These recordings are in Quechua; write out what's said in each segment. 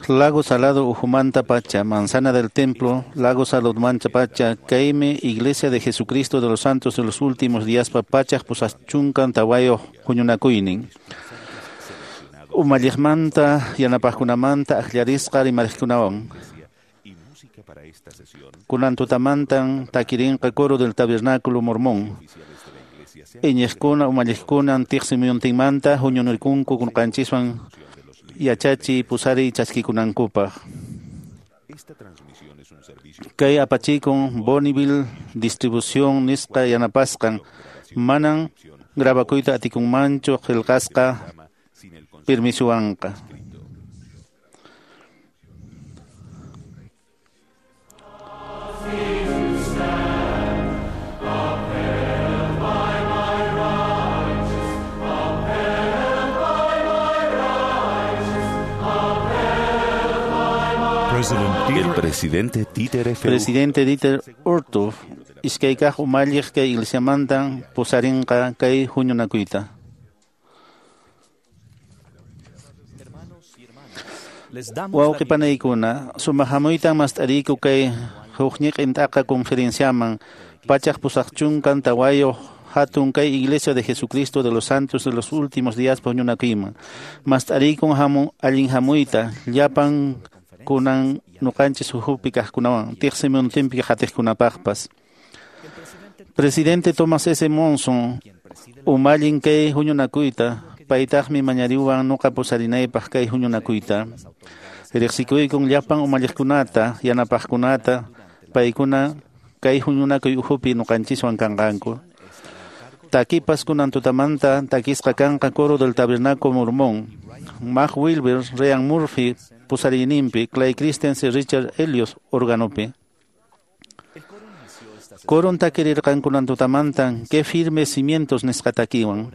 Lago Salado Ujumanta Pacha, Manzana del Templo, Lago Salado Mancha Pacha, Caime, Iglesia de Jesucristo de los Santos de los Últimos Días Papachaj, Pusachuncan, Tawayo, Juñunacuinin. Umalliqmanta, yanapaqkunamanta, akllarisqa rimarikunawan. Kunan tutamantan takirinqa coro del tabernáculo mormón. Iñiqkuna umalliqkuna tiqsimuyuntinmanta huñunarikunku kunqanchiswan yachachi pusari chaskikunankupaq. Kay apachikun Bonneville Distribución nisqa yanapasqan manan grabakuyta atikunmanchu qillqasqa permisuwanqa. El presidente Dieter F. Presidente Dieter Uchtdorf, iskay kaq umalliq kay iglesiamantan pusarinqa kay huñunakuyta. Wawqi panaykuna, sumaq hamuytan mast'ariku kay hukñiqin t'aqa conferenciaman 184 hatun kay Iglesia de Jesucristo de los Santos de los Últimos Días huñunakuyman. Mast'arikun hamun allin hamuyta llapan kunan nuqanchis ukhupi kaqkunawan tiqsimuyuntinpi qatiqkunapaqpas. Presidente Thomas S. Monson umallin kay huñunakuyta paytaqmi mañariwan nuqa pusarinaypaq kay huñunakuyta. Riqsikuykun llapan umalliqkunata yanapaqkunata paykuna kay huñunakuy ukhupi nuqanchiswan kanqanku. Takipas kunan tutamanta takisqa kanqa coro del tabernáculo mormón. Mark Wilber, Ryan Murphy pusarininpi, Clay Christensen, Richard Elliot organopi. Coron takirirqan kunan tutamantan que firmes cimientos nisqa takiwan.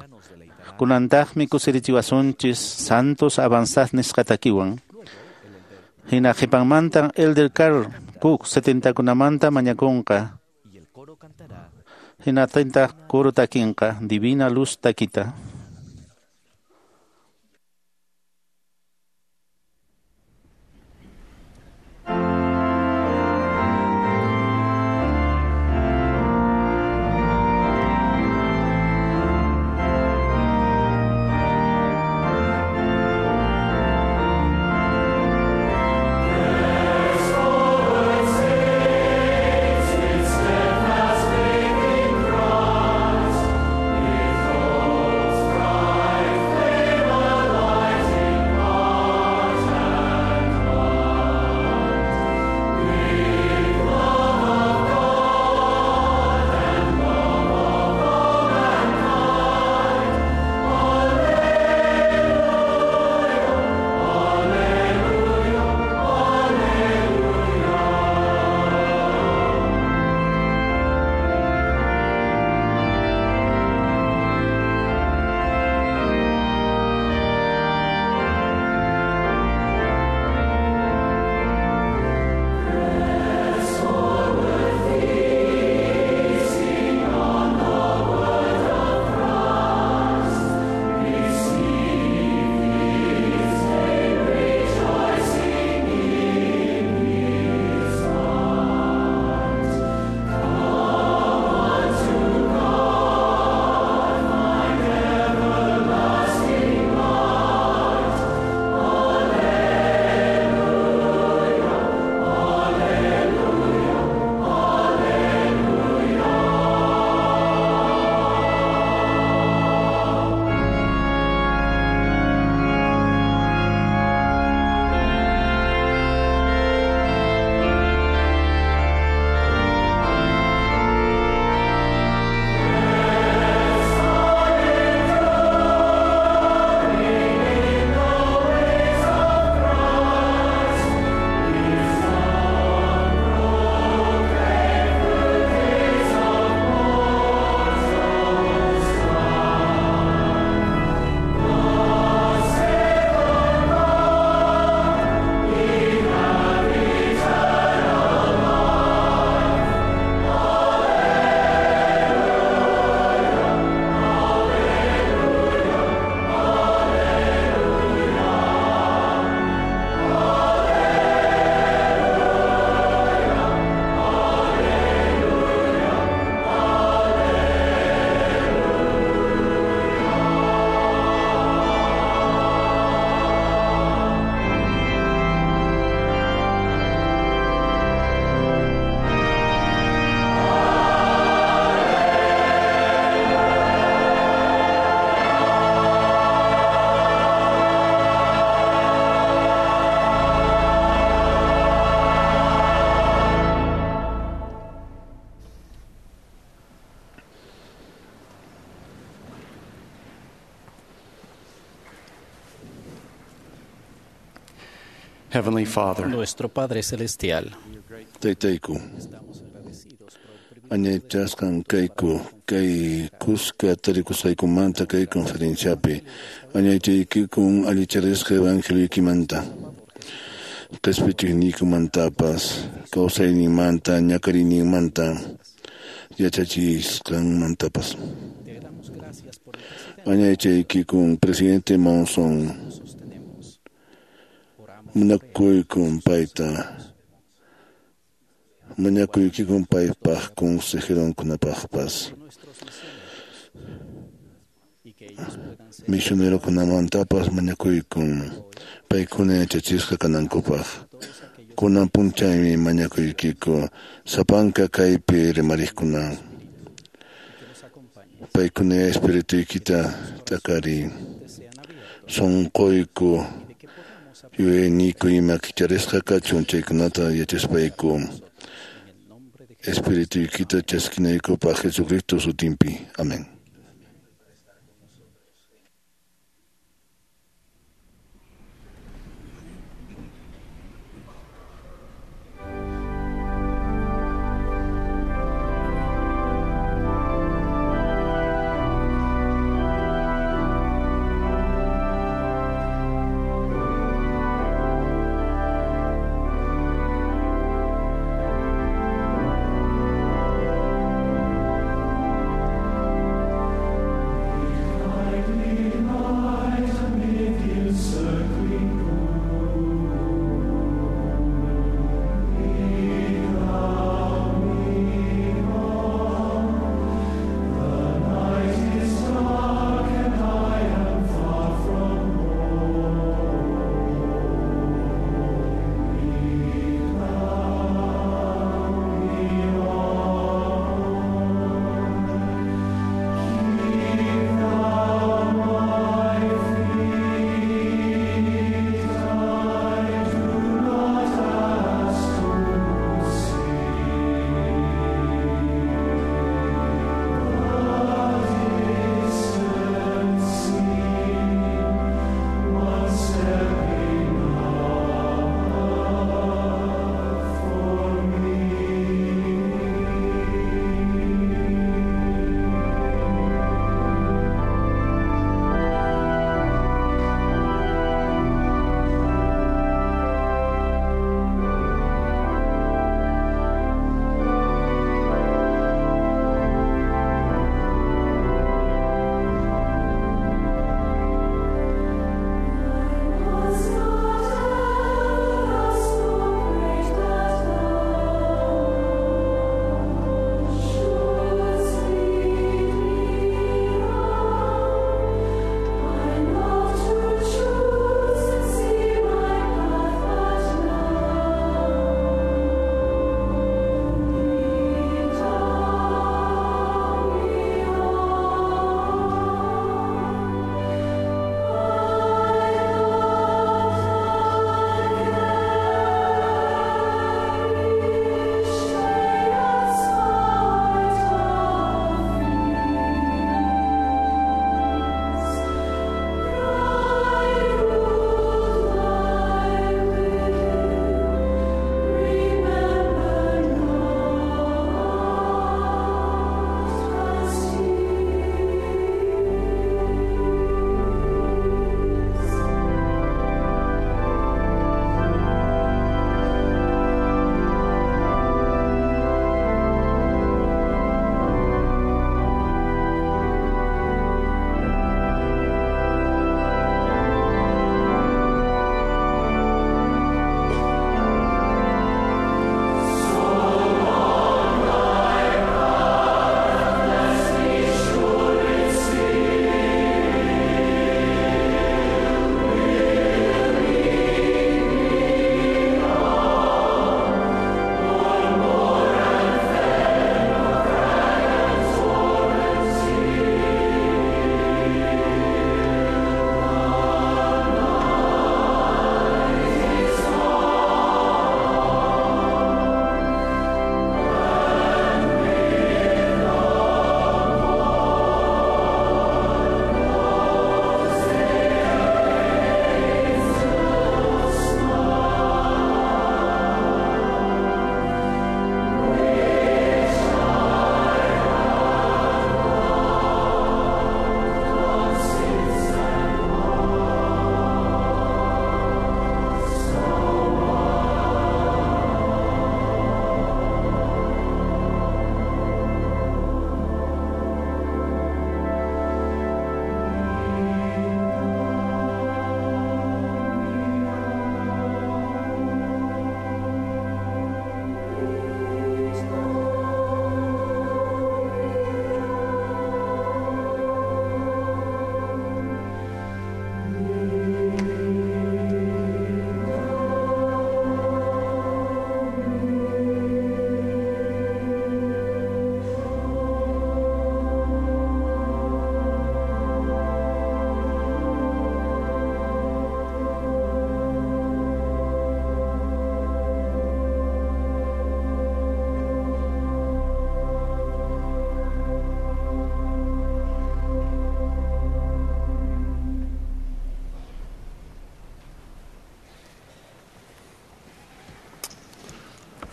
Kunantaqmi kusirichiwasunchis santos avanzad nisqa takiwan. Hina qhipanmantan Elder Carl Cook 70kunamanta mañakunqa. Hinatintaq coro takinqa Divina Luz takita. Christ, Heavenly Father, Nuestro Padre Celestial, Taytayku, añaychasqan kayku kay kuska tarikusqaykumanta kay conferenciapi añaychaykikun allicharisqa evangelioykimanta qhispichiqniykumantapas kawsayninmanta ñakariyninmanta yachachisqanmantapas. Añaychaykikun presidente Monson munakuykun payta mañakuykikun paypaq consejeronkunapaqpas misionerokunamantapas mañakuykun paykuna yachachisqa kanankupaq kunan p'unchaymi mañakuykiku sapanka kaypi rimariqkuna paykuna espirituykita t'akariy sunquyku yuyayniyku ima kicharisqa kachun chaykunata yachaspayku espirituykita chaskinaykupaq Jesucristo sutinpi. Amén.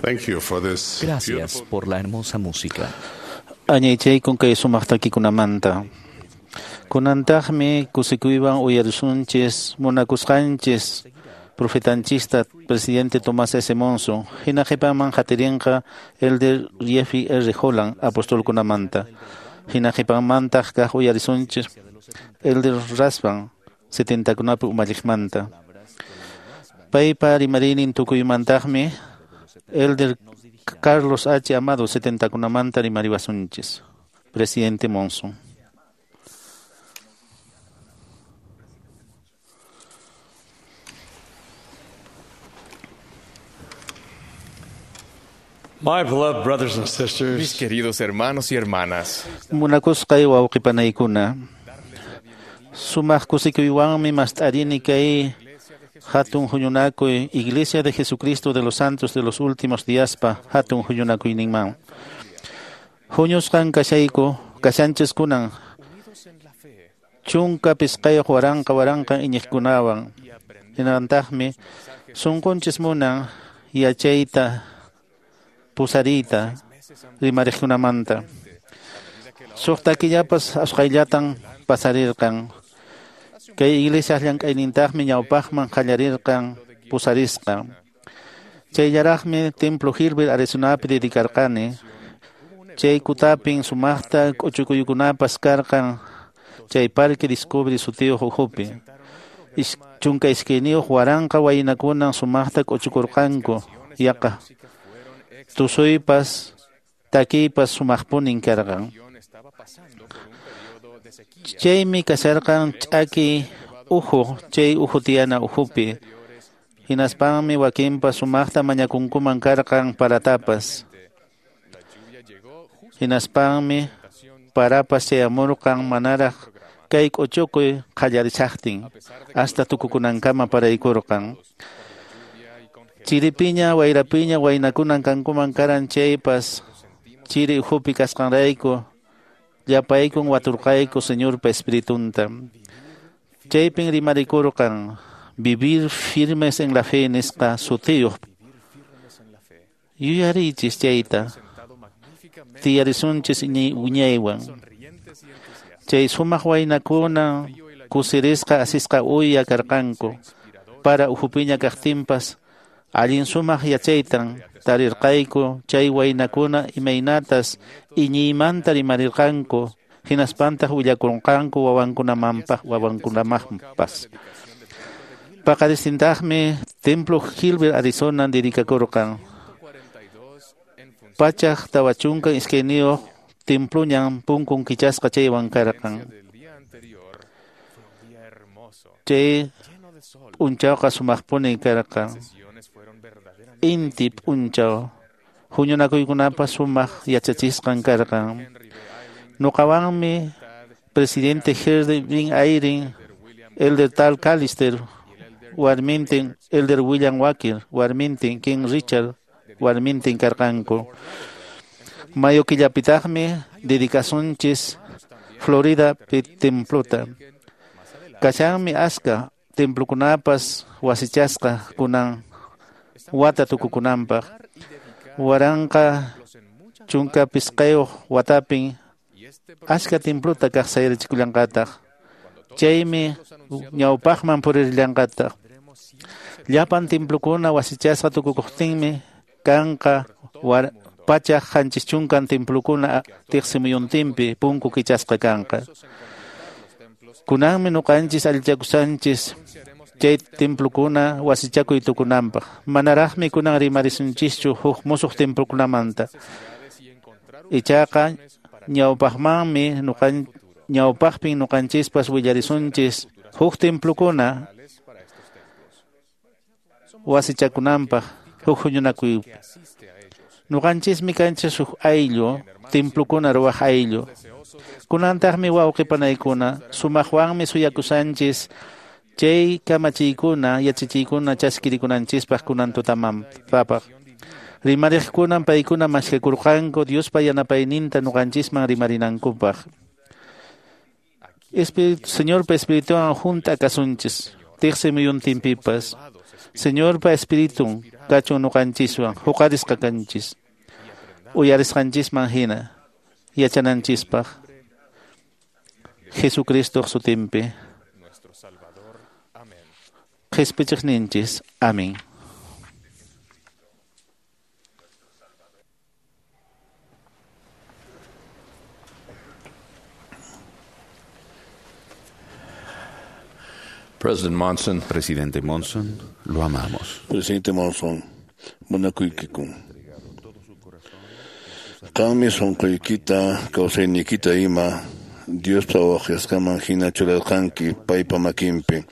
Gracias por la hermosa música. Añaychaykun kay sumaq takikunamanta. Kunantaqmi kusikuywan uyarisunchis munakusqanchis profetanchista presidente Tomás S. Monson. Hina qhipaman qatirinqa Elder Jeffrey R. Holland apostolkunamanta. Hina qhipanmantaq kaq uyarisunchis Elder Rasban 70kunapi umalliqmanta. Paypa rimarinin tukuymantaqmi Elder Carlos H. Amado 70kunamanta rimariwasunchis. Presidente Monson. My beloved brothers and sisters, Mis queridos hermanos y hermanas, Munakusqay wawqipanaykuna. Sumaq kusikuywanmi mast'arini kay hatun huñunakuy Iglesia de Jesucristo de los Santos de los Últimos Díaspa hatun huñunakuyninman. Huñusqan kashayku kashanchis kunan chunka pisqayuq waranqa waranqa iñiqkunawan. Hinantaqmi sunqunchis munan yachayta pusariyta rimariqkunamanta. Suqta killapas asqayllatan pasarirqan. Kay iglesia llank'aynintaqmi ñawpaqman qallarirqan pusarisqa. Chayllaraqmi Templo Gilbert Arizonapi dedicarqani. Chay kutapin sumaqta k'uchukuykunapas karqan chay Parque Discovery sutiyuq ukhupi. 12 waranqa waynakunan sumaqta k'uchukurqanku yaqa. Tusuypas takiypas sumaqpunin karqan. Chaymi kasharqan ch'aki uhu, chay uhu tiyana uhupi. Hinaspanmi wakinpas sumaqta mañakunkuman karqan paratapas. Hinaspanmi parapas chayamurqan manaraq kay k'uchukuy qallarishaqtin hasta tukukunankama paraykurqan. Chiripiña wayrapiña waynakunan kankuman karan chaypas chiri uhupi kasqanrayku llapaykun waturqayku Señorpa Espiritunta. Chaypin rimarikurqan vivir firmes en la fe nisqa sutiyuq. Yuyariychis chayta tiyarisunchis wiñaywan. Chay sumaq waynakuna kusirisqa asisqa uya karqanku para uhupiña kaqtinpas allin sumaq yachaytan tarirqayku chay waynakuna imaynatas iñiymanta rimarirqanku hinaspantaq willakurqanku wawankunamanpaq wawankunamaqpas. Paqaristintaqmi Templo Gilbert Arizona dedikakurqan. 142 temploñan punkun kichasqa chaywan karqan. Chay p'unchawqa sumaqpuni karqan. Inti p'unchaw huñunakuykunapas sumaq yachachisqan karqan. Nuqawanmi presidente Henry B. Eyring, Elder Tal Callister, warmintin Elder William Walker, warmintin King Richard, warmintin karqanku. Mayo killapitaqmi dedicasunchis Florida templota. Kashanmi aska templokunapas wasichasqa kunan wata tukukunanpaq. 1015 watapin aska templota kaq sayarichikullanqataq. Chaymi ñawpaqman purirllanqataq. Llapan templokuna wasichasqa tukukuqtinmi kanqa 170 templokuna tiqsimuyuntinpi punku kichasqa kanqa. Kunanmi nuqanchis allichakusanchis chay templokuna wasichakuy tukunanpaq. Manaraqmi kunan rimarisunchischu huk musuq templokunamanta. Ichaqa ñawpaqmanmi ñawpaqpin nuqanchispas willarisunchis huk templokuna wasichakunanpaq huk huñunakuy. Nuqanchismi kanchis huk ayllu, templokuna ruwaq ayllu. Kunantaqmi wawqipanaykuna sumaqwanmi suyakusanchis chay kamachiykuna yachachiykuna chaskirikunanchispaq kunan tutamanpapaq. Rimariqkunan paykuna maskakurqanku Diospa yanapayninta nuqanchisman rimarinankupaq. Señorpa Espirituwan hunt'a kasunchis tiqsi muyuntinpipas. Señorpa Espiritun kachun ñuqanchiswan huqarisqa kanchis uyarisqanchisman hina yachananchispaq Jesucristoq sutinpi qhispichiqninchis. Amén. President Monson. Presidente Monson, lo amamos. Presidente Monson, munakuykiku. Qanmi sunquykita, kawsayniykita ima Diospa waqyasqanman hina churarqanki paypa makinpi.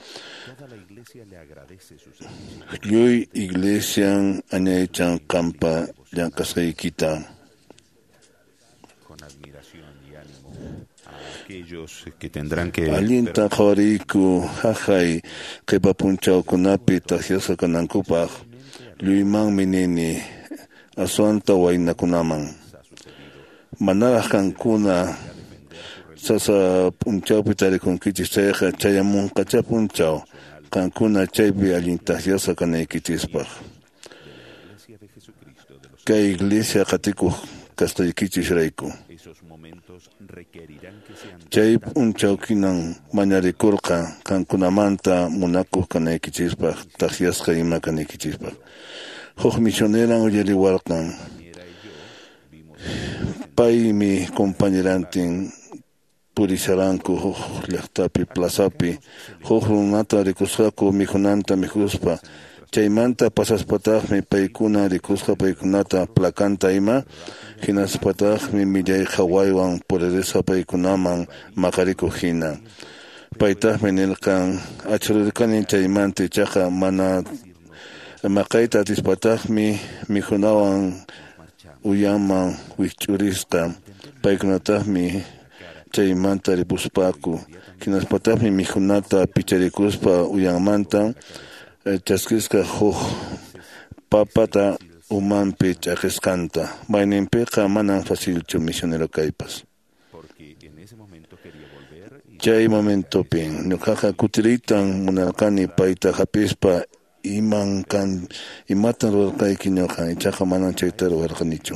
Lluy iglesian añaychan qampa llank'asqaykita. Que tendrán que allinta qhawariyku haqay qhipa punchawkunapi takyasqa kanankupaq lluymanmi nini aswanta waynakunaman. Manaraq qankuna sasa p'unchawpi tarikunkichis chayqa chayamunqachá p'unchaw qankuna chaypi allin takyasqa kanaykichispaq. Kay iglesia qatikuq kasqaykichisrayku. Chay p'unchawkinan mañarikurqa qankunamanta munakuq kanaykichispaq takyasqa ima kanaykichispaq. Huk misioneran uyariwarqan. Paymi compañerantin purisharanku huk llaqtapi plazapi huk runata rikusqaku mikhunanta mikhuspa. Chaymanta pasaspataqmi paykuna rikusqa paykunata placanta ima hinaspataqmi millay qhawaywan puririsqa paykunaman maqarikuq hina. Paytaqmi nirqan achhurirqani chaymanta ichaqa mana maqayta atispataqmi mikhunawan uyanman wikch'urisqa paykunataqmi chaymanta ripuspaku hinaspataqmi mikhunata picharikuspa uyanmanta chaskisqa huk papata umanpi ch'aqisqanta. Mayninpiqa manan facilchu misionero kaypas. Chay momentopin ñuqaqa kutiriytan munarqani payta hapispa iman kan imatan ruwarqayki ñuqa ichaqa manan chayta ruwarqanichu.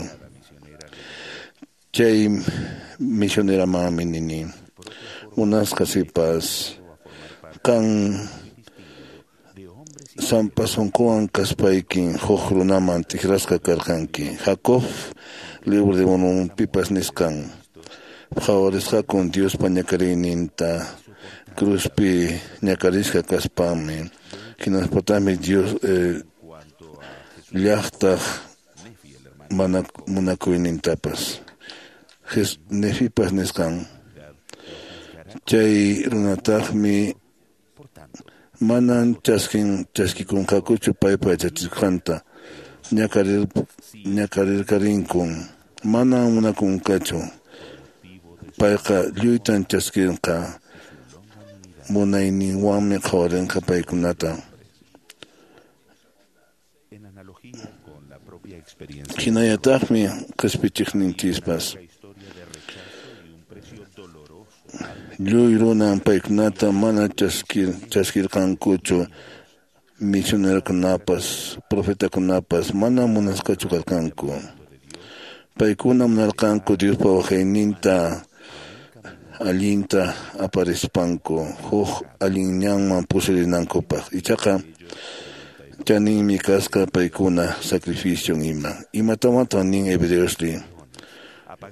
Chay misioneramanmi nini munasqa sipas qan sampa sunquwan kaspaykin huk runaman tikrasqa karqanki. Jacob libro de Mormonpipas nisqan qhawarisqakun Diospa ñakariyninta cruzpi ñakarisqa kaspanmi hinaspataqmi Dios llaqtaq munakuynintapas. Nefipas nisqan chay runataqmi manan chaskikunqakuchu paypa yachachisqanta ñakarirqarinkun manan munakunqachu payqa lluytan chaskinqa munayninwanmi qhawarinqa paykunata. Hinallataqmi qispichiqninchispas lluy runan paykunata mana chaskirqankuchu misionerokunapas profetakunapas mana munasqachu karqanku. Paykuna munarqanku Diospa waqayninta allinta aparispanku huk allin ñanman pusarinankupaq. Ichaqa chaninmi kasqa paykuna sacrificio ima. Imatamatan nin Hebreosri?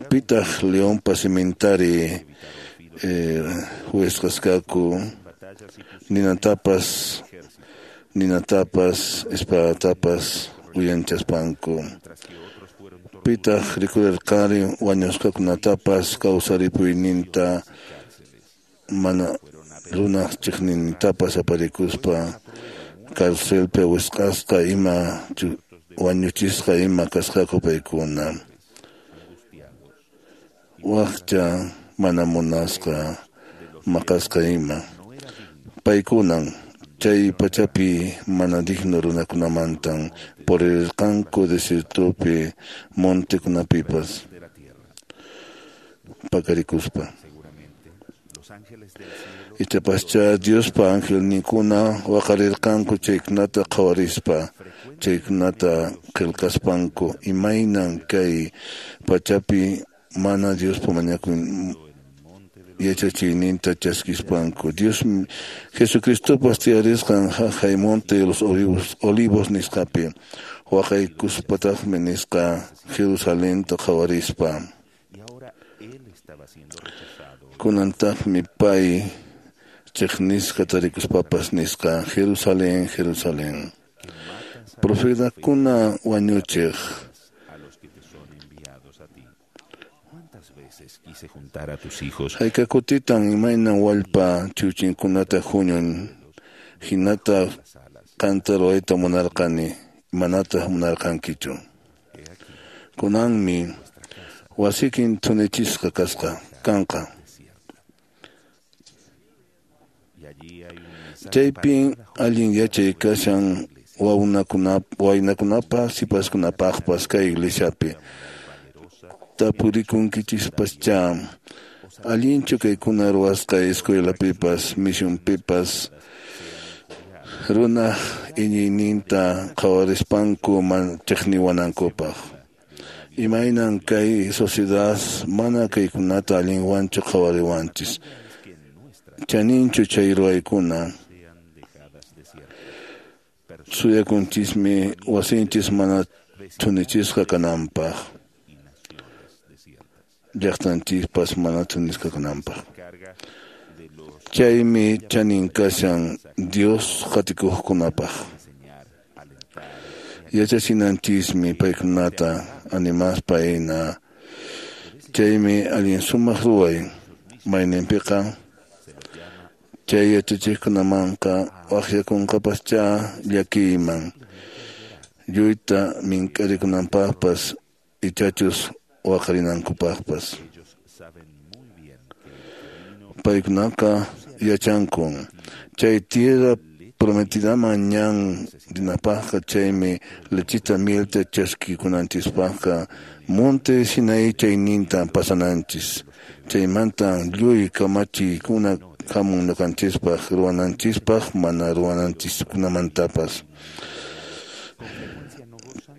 Pitaq leonpa simentari huesqasqaku ninatapas espadatapas uyanchaspanku. Pitaq rikurirqari wañusqakunatapas kawsaripuyninta mana runaq chiqnintapas aparikuspa carcelpi wisq'asqa ima wañuchisqa ima kasqaku paykuna. Wakcha mana munasqa maqasqa ima. Paykunan chay pachapi mana digno runakunamantan purirqanku desiertopi montekunapipas pakarikuspa. Ichapascha Diospa angelninkuna waqarirqanku chaykunata qhawarispa, chaykunata qillqaspanku, imaynan kay pachapi mana Diospa mañakuy yachachiyninta chaskispanku. Dios Jesucristopas tiyarisqan haqay monte de los olivos nisqapi waqaykuspataqmi nisqa Jerusalenta qhawarispa. Kunantaqmi pay chiqnisqa tarikuspapas nisqa Jerusalén, Jerusalén. Profetakuna wañuchiq. Hayka kutitan imaynan wallpa chiwchinkunata huñun, hinata qanta ruwayta munarqani, manataq munarqankichu. Kunanmi wasikin thunichisqa kasqa kanqa. Chaypin allin yachay kashan waynakunapaq sipaskunapaqpas kay iglesiapi. Tapurikunkichispaschá allinchu kaykuna ruwasqa escuelapipas misionpipas runaq iñiyninta qhawarispanku chiqniwanankupaq. Imaynan kay sociedad mana kaykunata allinwanchu qhawariwanchis. Chaninchu chay ruwaykuna. Suyakunchismi wasinchis mana thunichisqa kananpaq. Llaqtanchispas mana thunisqa kananpaq. Chaymi chanin kashan Dios qatikuqkunapaq. Yachachinanchismi paykunata animaspa hina. Chaymi allin sumaq ruway. Mayninpiqa chay yachachiqkunamanqa waqyakunqapaschá llakiyman. Lluyta mink'arikunanpaqpas ichachus waqarinankupaqpas. Paykunaqa yachankun chay tierra prometidaman ñan rinapaqqa chaymi lechita mielta chaskikunanchispaqqa monte Sinaí chayninta pasananchis. Chaymanta lluy kamachiykuna hamun ñuqanchispaq ruwananchispaq mana ruwananchiskunamantapas.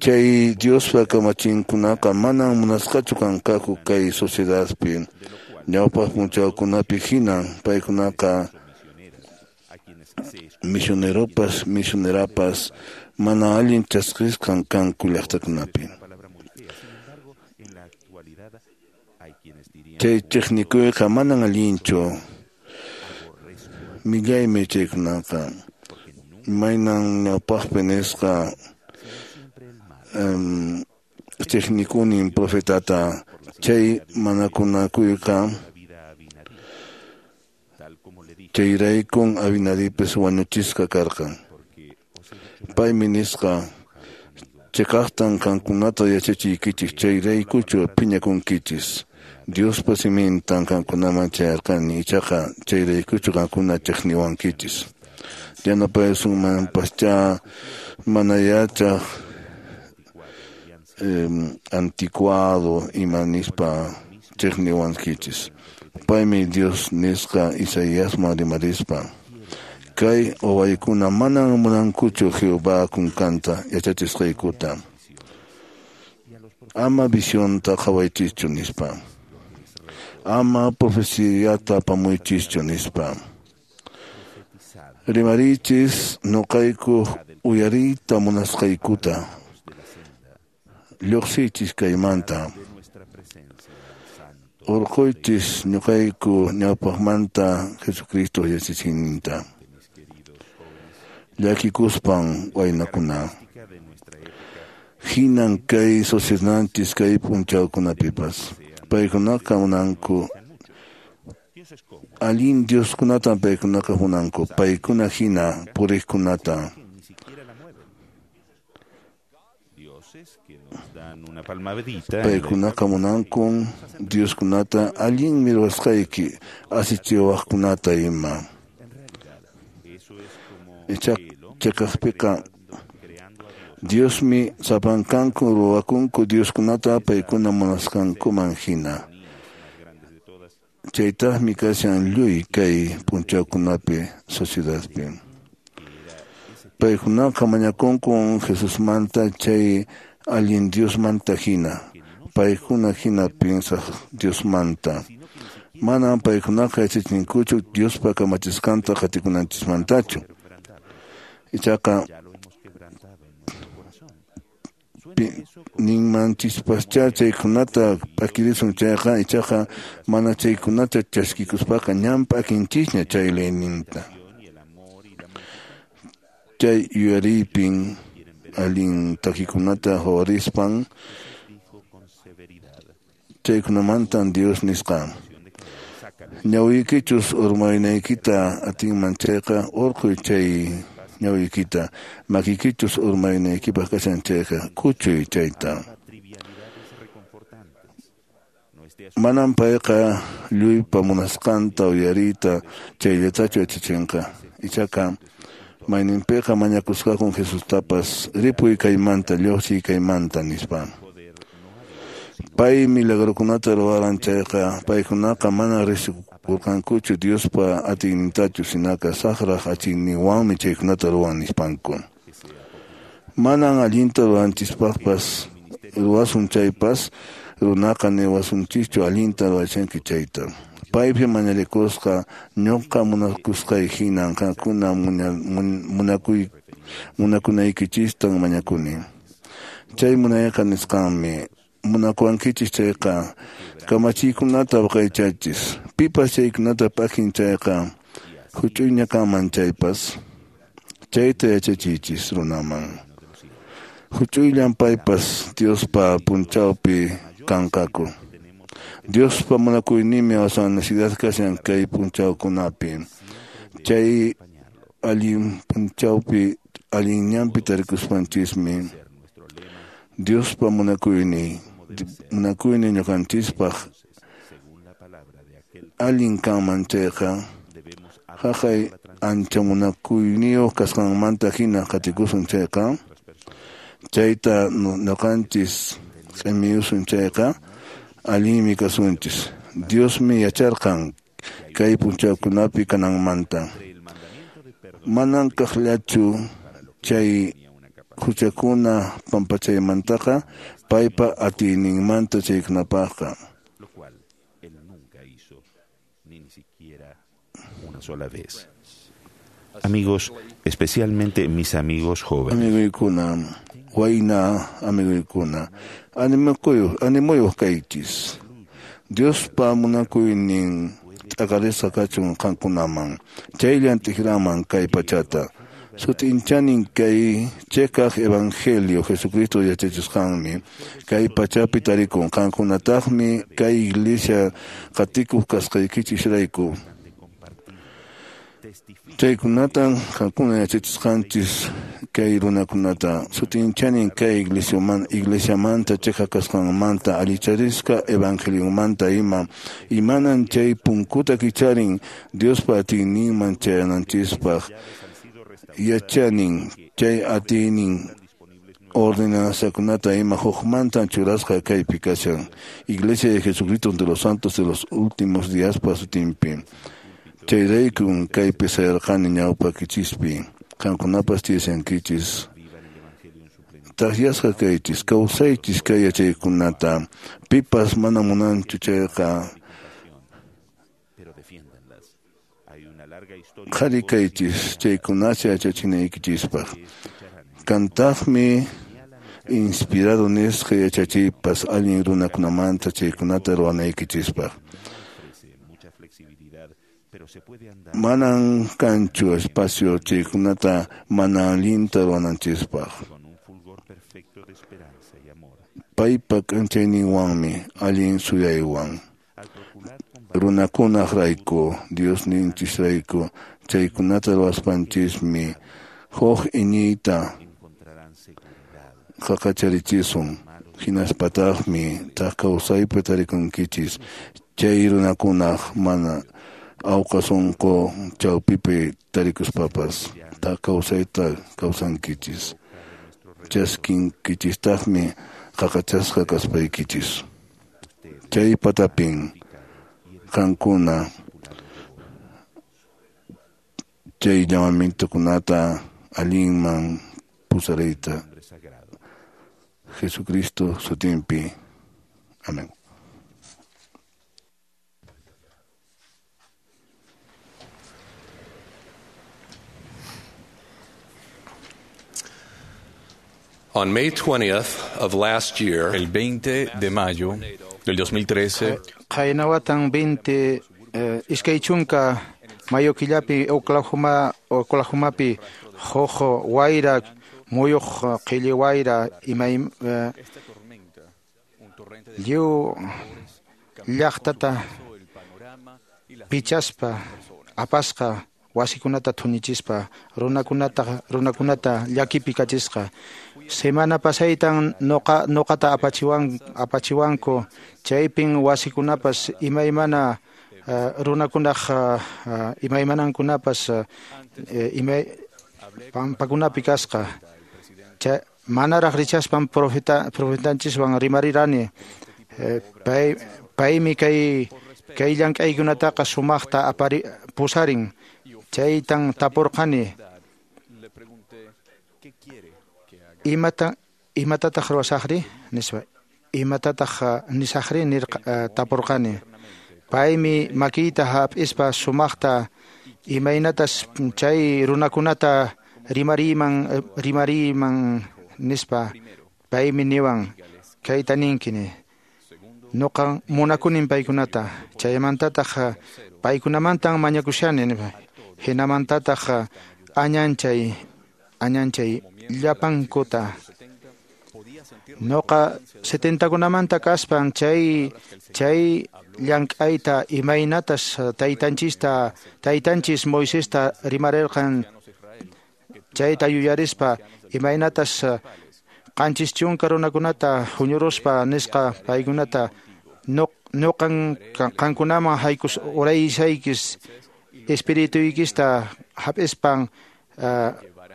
Chay Diospa kamachinkunaqa manan munasqachu kanqaku kay sociedadpi. Ñawpaq p'unchawkunapi hinan paykunaqa misioneropas misionerapas mana allin chaskisqan kanku llaqtakunapi. Chay chiqnikuyqa manan allinchu. Millaymi chaykunaqa. Imaynan ñawpaqpi nisqa chiqnikunin profetata chay manakunakuyqa chayraykun Abinadipis wañuchisqa karqan. Paymi nisqa chiqaqtan qankunata yachachiykichis chayraykuchu phiñakunkichis. Diospa simintan qankunaman chayarqani ichaqa chayraykuchu qankuna chiqniwankichis. Yanapayasunmanpaschá mana yachaq anticuado ima nispa chiqniwankichis. Paymi Dios nisqa Isaiasman rimarispa. Kay wawaykuna manan munankuchu Jehová kunkanta yachachisqaykuta. Ama visionta qhawaychischu nispa. Ama profeciata apamuychischu nispa. Rimarichis nuqayku uyariyta munasqaykuta. Lluqsiychis kaymanta. Urquychis ñuqayku ñawpaqmanta Jesucristo yachachiyninta. Llakikuspan waynakuna. Hinan kay sociedadninchis kay p'unchawkunapipas. Paykunaqa munanku allin Dioskunatan paykunaqa munanku paykuna hina puriqkunata. Paykunaqa munankun Dioskunata allinmi ruwasqayki asichiwaqkunata ima. Chiqaqpiqa Diosmi sapankanku ruwakunku Dioskunata paykuna munasqankuman hina. Chaytaqmi kashan lluy kay p'unchawkunapi sociedadpi. Paykunaqa mañakunku Jesusmanta chay allin Diosmanta hina, paykuna hina piensaq Diosmanta. Manan paykunaqa yachachinkuchu Diospa kamachisqanta qatikunanchismantachu. Ichaqa ninmanchispaschá chaykunata p'akirisun chayqa, ichaqa mana chaykunata chaskikuspaqa ñan p'akinchisña chay leyninta. Chay yuyariypin allin takikunata hawarispan chaykunamantan Dios nisqa. Ñawiykichus urmaynaykita atinman chayqa urquy chay ñawiykita, makikichus urmaynaykipaq kashan chayqa kuchuy chayta. Manan payqa lluypa munasqanta uyariyta chayllatachu yachachinqa. Ichaqa mayninpiqa mañakusqakun Jesustapas ripuy kaymanta, lluqsiy kaymanta nispa. Pay milagrokunata ruwaran chayqa paykunaqa mana riqsikurqankuchu Diospa atiynintachu, sinaqa saqraq atiyninwanmi chaykunata ruwan nispanku. Manan allinta ruwanchispaqpas ruwasun chaypas runaqa niwasunchischu allinta ruwashanki chayta. Paypi mañarikusqa ñuqa munakusqay hinan qankuna munakunaykichistan mañakuni. Chay munayqa nisqanmi munakuwankichis chayqa kamachiykunata waqaychachis. Pipas chaykunata p'akin chayqa huch'uyña kanman chaypas chayta yachachiychis runaman. Huch'uyllan paypas Diospa punchawpi kanqaku. Diospa munakuyninmi aswan necesidad kashan kay punchawkunapi. Chay allin punchawpi allin ñanpi tarikuspanchismi Diospa munakuynin ñuqanchispaq allin kanman chayqa haqay ancha munakuyniyuq kasqanmanta hina qatikusun chayqa chayta ñuqanchis q'imiyusun chayqa allinmi kasunchis. Diosmi yacharqan kay punchawkunapi kananmanta. Manan kaqllachu chay huchakuna pampachaymantaqa paypa atiyninmanta chaykunapaqqa. Lo cual él nunca hizo, ni siquiera una sola vez. Amigos, especialmente mis amigos jóvenes. Amiguykuna, wayna amiguykuna, animuyuq kaychis. Diospa munakuynin t'aqarisqa kachun qankunaman, chayllan t'ikraman kay pachata. Sut'inchanin kay cheqaq evangelio Jesucristo yachachisqanmi kay pachapi tarikun qankunataqmi kay iglesia qatikuq kasqaykichisrayku. Chaykunatan qankuna yachachisqanchis kay runakunata. Sut'inchanin kay iglesiamanta cheqaq kasqanmanta allicharisqa evangeliomanta ima imanan chay punkuta kicharin Diospa atiyninman chayananchispaq. Yachanin chay atiynin ordenanzakunata ima hukmantan churasqa kaypi kashan Iglesia de Jesucristo de los Santos de los Últimos Días sutinpi. Chayraykun kaypi sayarqani ñawpakichispi qankunapas tiyashankichis. Takyasqa kaychis, kawsaychis kay yachaykunata. Pipas mana munanchu chayqa qhari kaychis chaykunata yachachinaykichispaq. Kantaqmi inspirado nisqa yachachiypas allin runakunamanta chaykunata ruwanaykichispaq. Manan kanchu espacio chaykunata mana allinta ruwananchispaq. Paypa k'anchayninwanmi allin suyaywan. Runakunaqrayku, Diosninchisrayku, chaykunata ruwaspanchismi huk iñiyta qaqacharichisun. Hinaspataqmi thak kawsaypi tarikunkichis chay runakunaq mana awqa sunqu chawpipi tarikuspapas thak kawsayta kawsankichis. Chaskinkichistaqmi qaqachasqa kaspaykichis. Chay patapin Qankuna chay llamamientokunata allinman pusariyta. Jesucristo sutinpi. Amén. On May 20th of last year, el 20 de mayo del 2013, Qaynawatan 20 iskay chunka mayo killapi Oklahomapi huk wayra muyuq qhilli wayra imay lliw llaqtata pichaspa apasqa wasikunata thunichispa runakunata llakipi kachisqa. Semana pasaytan noqata apachiwanku chaypin wasikunapas imaymana runakunaq imaymanankunapas imay pampakunapi kasqa. Manaraq richaspan profetanchiswan rimarirani. Paymi kay llank'aykunataqa sumaqta pusarin. Chaytan tapurqani. Imatataq ruwasaqri nispa. Imatataq nisaqri tapurqani. Paymi makiyta hap'ispa sumaqta imaynatas chay runakunata rimariyman nispa. Paymi niwan kayta ninkini. Noqa munakunin paykunata. Chaymantataq paykunamantan mañakushani nispa. Hinamantataq añanchay llapankuta. Noqa 70kunamanta kaspan chay llank'ayta imaynatas taytanchis Moisesta rimarirqan chayta yuyarispa imaynatas 70 runakunata huñuruspa nisqa paykunata noqan qankunaman haykus urayshaykis espirituykista hap'ispan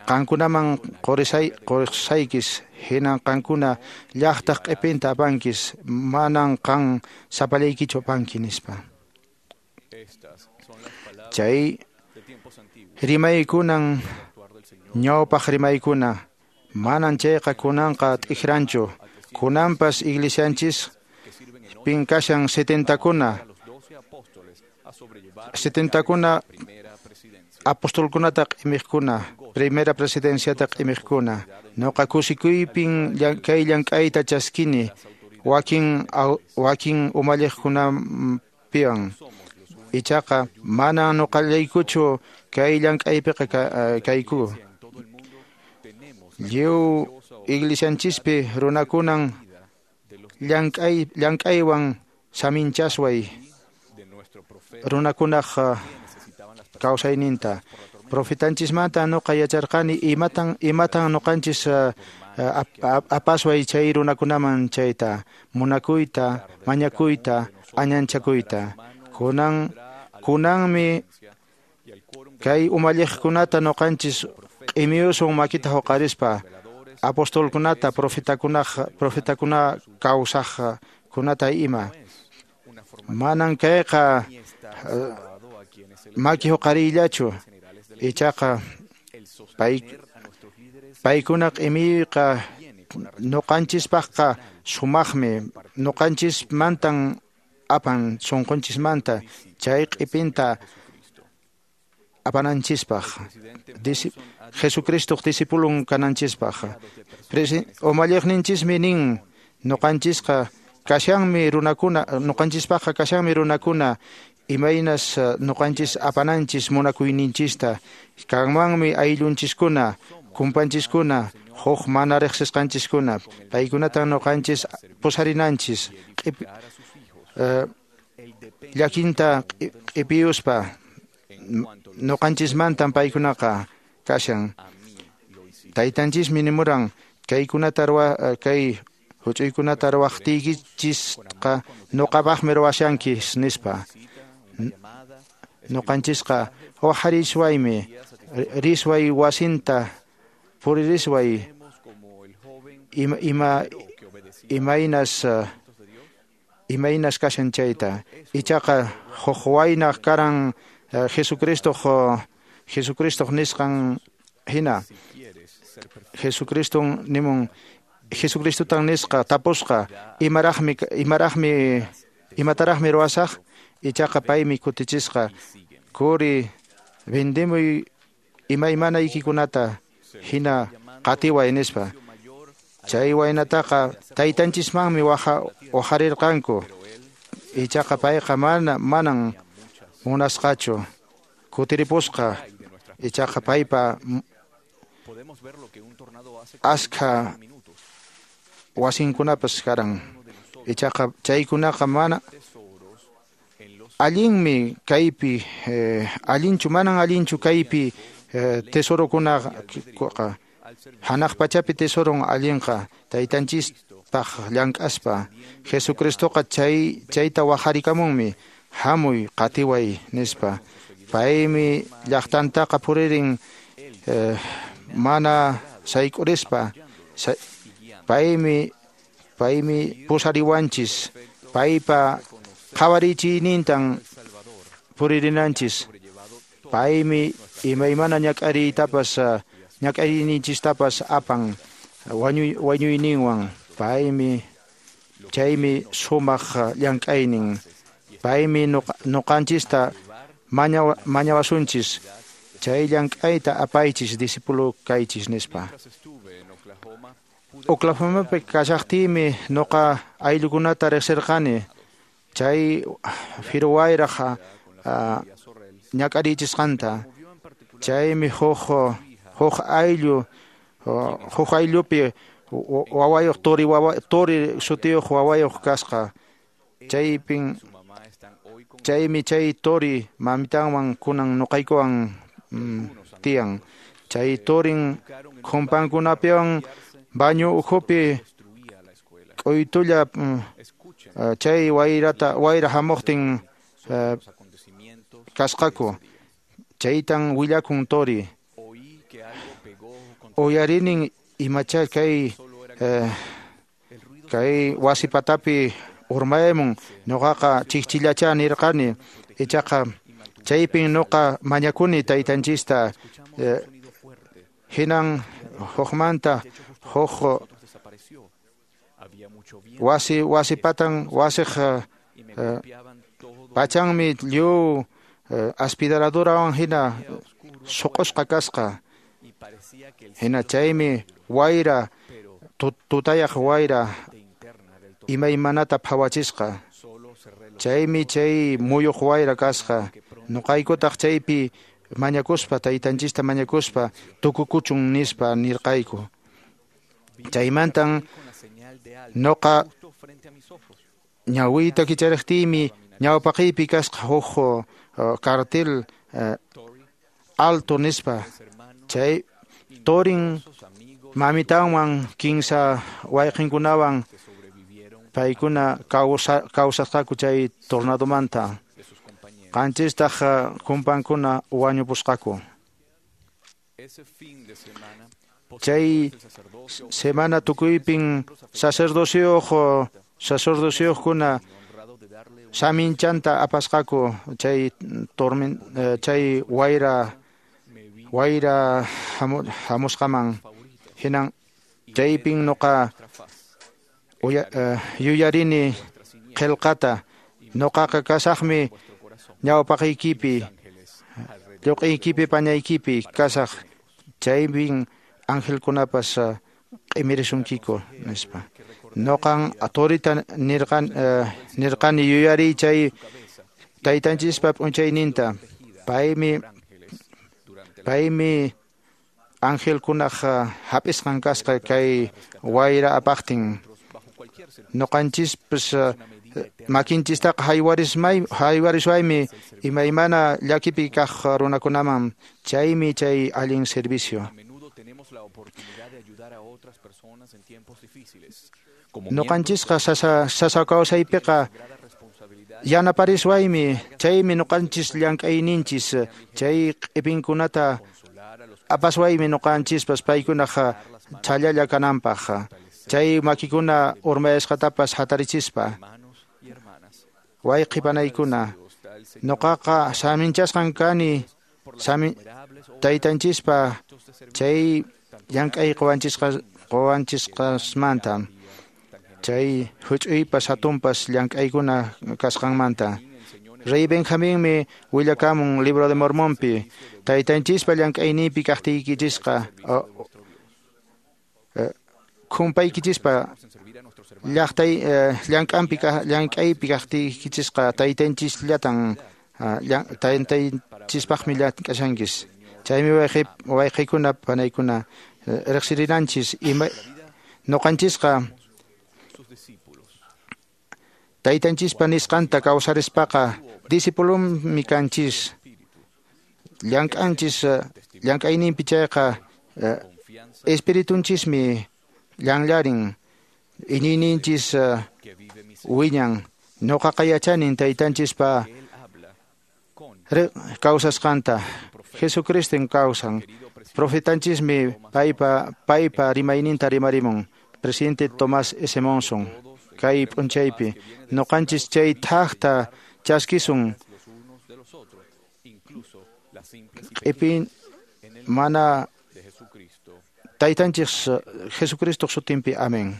qankunaman qurisaykis hinan qankuna llaqtaq q'ipinta apankis manan qan sapallaykichu apanki nispa. Chay rimaykunan ñawpaq rimaykuna manan chayqa kunanqa t'ikranchu. Kunanpas iglesianchis pin kashan 70 kuna apostolkunata q'imiqkuna primera presidenciata q'imiqkuna. Noqa kusikuypin kay llank'ayta chaskini wakin umalliqkunapiwan. Ichaqa mana noqallaykuchu kay llank'aypiqa kayku. Lliw iglesianchispi runakunan llank'aywan saminchasway runakunaq kawsayninta. Profetanchismanta noqa yacharqani imatan noqanchis apasway chay runakunaman chayta munakuyta, mañakuyta, añanchakuyta. Kunanmi kay umalliqkunata noqanchis q'imiyusun makita huqarispa apostolkunata, profetakuna kawsaqkunata ima. Manan kayqa maki huqariyllachu. Ichaqa paykuna q'imiyqa noqanchispaqqa sumaqmi. Noqanchismantan apan sunqunchismanta chay q'ipinta apananchispaq. Jesucristoq discipulun kananchispaq. Umalliqninchismi nin noqanchisqa kashanmi runakuna, noqanchispaqqa kashanmi runakuna imaynas noqanchis apananchis munakuyninchista. Kanmanmi ayllunchiskuna, kumpanchiskuna, huk mana riqsisqanchiskuna. Paykunatan noqanchis pusarinanchis llakinta q'ipiyuspa noqanchismantan paykunaqa kashan. Taytanchismi nimuran kaykunata kay huch'uykunata ruwaqtiykichisqa noqapaqmi ruwashankis nispa. Noqanchisqa waqhariswaymi risway wasinta puririsway imaynas Imaynas kashan chayta. Ichaqa huk wayna karan Jesucristoq nisqan hina. Jesucriston nimun Jesucristotan nisqa tapusqa imataraqmi ruwasaq. Ichaqa paymi kutichisqa kuri vendemuy imaymanaykikunata hina qatiway nispa. Chay waynataqa taytanchismanmi wajarirqanku. Ichaqa payqa manan munasqachu kutiripusqa. Ichaqa paypa askha wasinkunapas karan. Ichaqa chaykunaqa mana allinmi kaypi allinchu manan allinchu kaypi tesorokunaqa. Hanaq pachapi tesoron allinqa taytanchispaq llank'aspa. Jesucristoqa chayta wajarikamunmi hamuy qatiway nispa. Paymi llaqtantaqa puririn mana sayk'urispa. Paymi pusariwanchis. Paypa qhawarichiynintan puririnanchis. Paymi imaymana ñak'ariytapas ñak'ariyninchistapas apan wañuyninwan. Paymi chaymi sumaq llank'aynin. Paymi nuqanchista mañawasunchis. Chay llank'ayta apaychis discípulo kaychis nispa. Oklahomapi kashaqtiymi nuqa ayllukunata riqsirqani. Chay firuwayraq ñak'arichisqanta. Chaymi huk ayllupi wawayuq tori sutiyuq wawayuq kasqa. Chaymi chay tori mamitanwan kunan nuqaykuwan tiyan. Chay torin khumpankunapiwan baño ukhupi k'uytulla chay wayra hamuqtin kasqaku. Chaytan willakun tori. Uyarinin imacha kay wasi patapi urmaymun nuqaqa chikchillacha nirqani. Ichaqa chaypin nuqa mañakuni taytanchista. Hinan hukmanta huk wasi patan wasiq pachanmi lliw aspiradorawan hina suq'usqa kasqa. Hina chaymi wayra tutayaq wayra imaymanata phawachisqa. Chaymi chay muyuq wayra kasqa. Nuqaykutaq chaypi mañakuspa taytanchista mañakuspa tukukuchun nispa nirqayku. Chaymantan nuqa ñawiyta kichariqtiymi ñawpaqiypi kasqa huk cartel alto nispa. Chay torin mamitanwan kinsa wayqinkunawan paykuna kawsasqaku chay tornadomanta. Qanchistaq kumpankuna wañupusqaku. Chay semana tukuypin sacerdocioqkuna saminchanta apasqaku chay chay wayra hamusqaman. Hinan chaypin nuqa yuyarini qillqata. Nuqaqa kasaqmi ñawpaqiykipi lluq'iykipi pañaykipi kasaq. Chaypin angelkunapas q'imirisunkiku nispa. Nuqan torita nirqani yuyariy chay taytanchispa p'unchayninta. Paymi angelkunaq hap'isqan kasqa kay wayra apaqtin. Nuqanchispas makinchistaqa haywariswaymi imaymana llakipi kaq runakunaman. Chaymi chay allin servicio. Nuqanchisqa sasa kawsaypiqa yanapariswaymi. Chaymi nuqanchis llank'ayninchis. Chay q'ipinkunata apaswaymi nuqanchispas paykunaq chhallalla kananpaq. Chay makikuna urmayasqatapas hatarichispa. Wayqi panaykuna, noqaqa saminchasqan kani taytanchispa chay llank'ay qowanchisqasmanta, chay huch'uypas hatunpas llank'aykuna kasqanmanta. Rey Benjaminmi willakamun Libro de Mormonpi, taytanchispa llank'ayninpi kaqtiykichisqa khumpaykichispa llaqtay llank'anpi llank'aypi kaqtiykichisqa taytanchisllatan taytanchispaqmi llank'ashankis. Chaymi wayqikuna panaykuna riqsirinanchis ima noqanchisqa taytanchispa nisqanta kawsarispaqa discipulonmi kanchis, llank'anchis llank'ayninpi chayqa espiritunchismi llanllarin, iñiyninchis wiñan. Noqaqa yachanin taytanchispa kawsasqanta. Jesucriston kawsan. Profetanchismi paypa rimayninta rimarimun. Presidente Tomás S. Monson kay p'unchaypi noqanchis chay thaqta chaskisun q'ipin mana taytanchis Jesucristo sutinpi. Amén.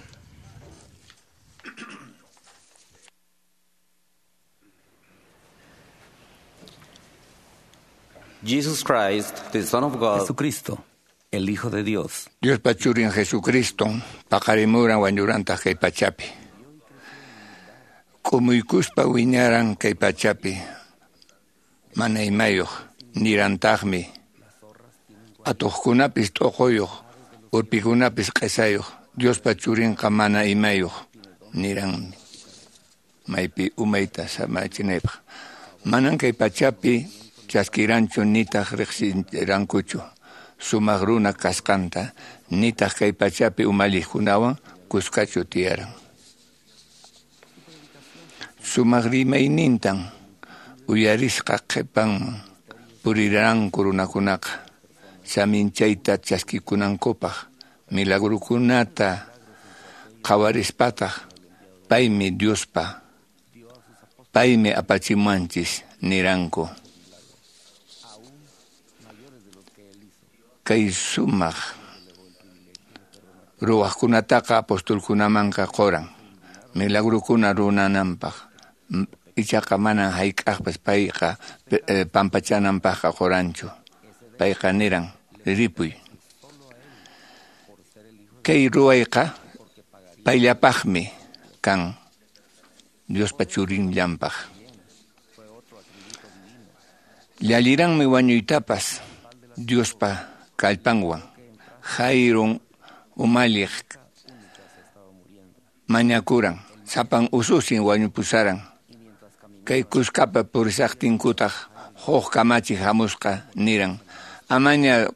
Jesus Christ, the Son of God. Jesucristo, el Hijo de Dios. Diospa churin Jesucristo, paqarimuran wañurantaq kay pachapi. K'umuykuspa wiñaran kay pachapi. Mana imayuq nirantaqmi. Atuqkunapis t'uquyuq, urpikunapis q'isayuq, Diospa churinqa mana imayuq niranmi. Maypi umayta samachinaypaq. Manan kay pachapi chaskiranchu nitaq riqsirankuchu sumaq runa kasqanta, nitaq kay pachapi umalliqkunawan kuskachu tiyaran. Sumaq rimaynintan uyarisqa qhipanman puriranku runakunaqa saminchayta chaskikunankupaq, milagrukunata qhawarispataq paymi Diospa, paymi apachimuanchis niranku. Kay sumaq ruwaqkunataqa apostolkunamanqa quran milagrukuna runananpaq, ichaqa manan hayk'aqpas payqa pampachananpaqqa quranchu. Payqa niran ripuy. Kay ruwayqa payllapaqmi kan, Diospa churinllanpaq. Llalliranmi wañuytapas Diospa kallpanwan. Jairon umalliq mañakuran, sapan ususin wañupusaran. Kay kuskapa purisaqtinkutaq huk kamachi hamusqa niran, amaña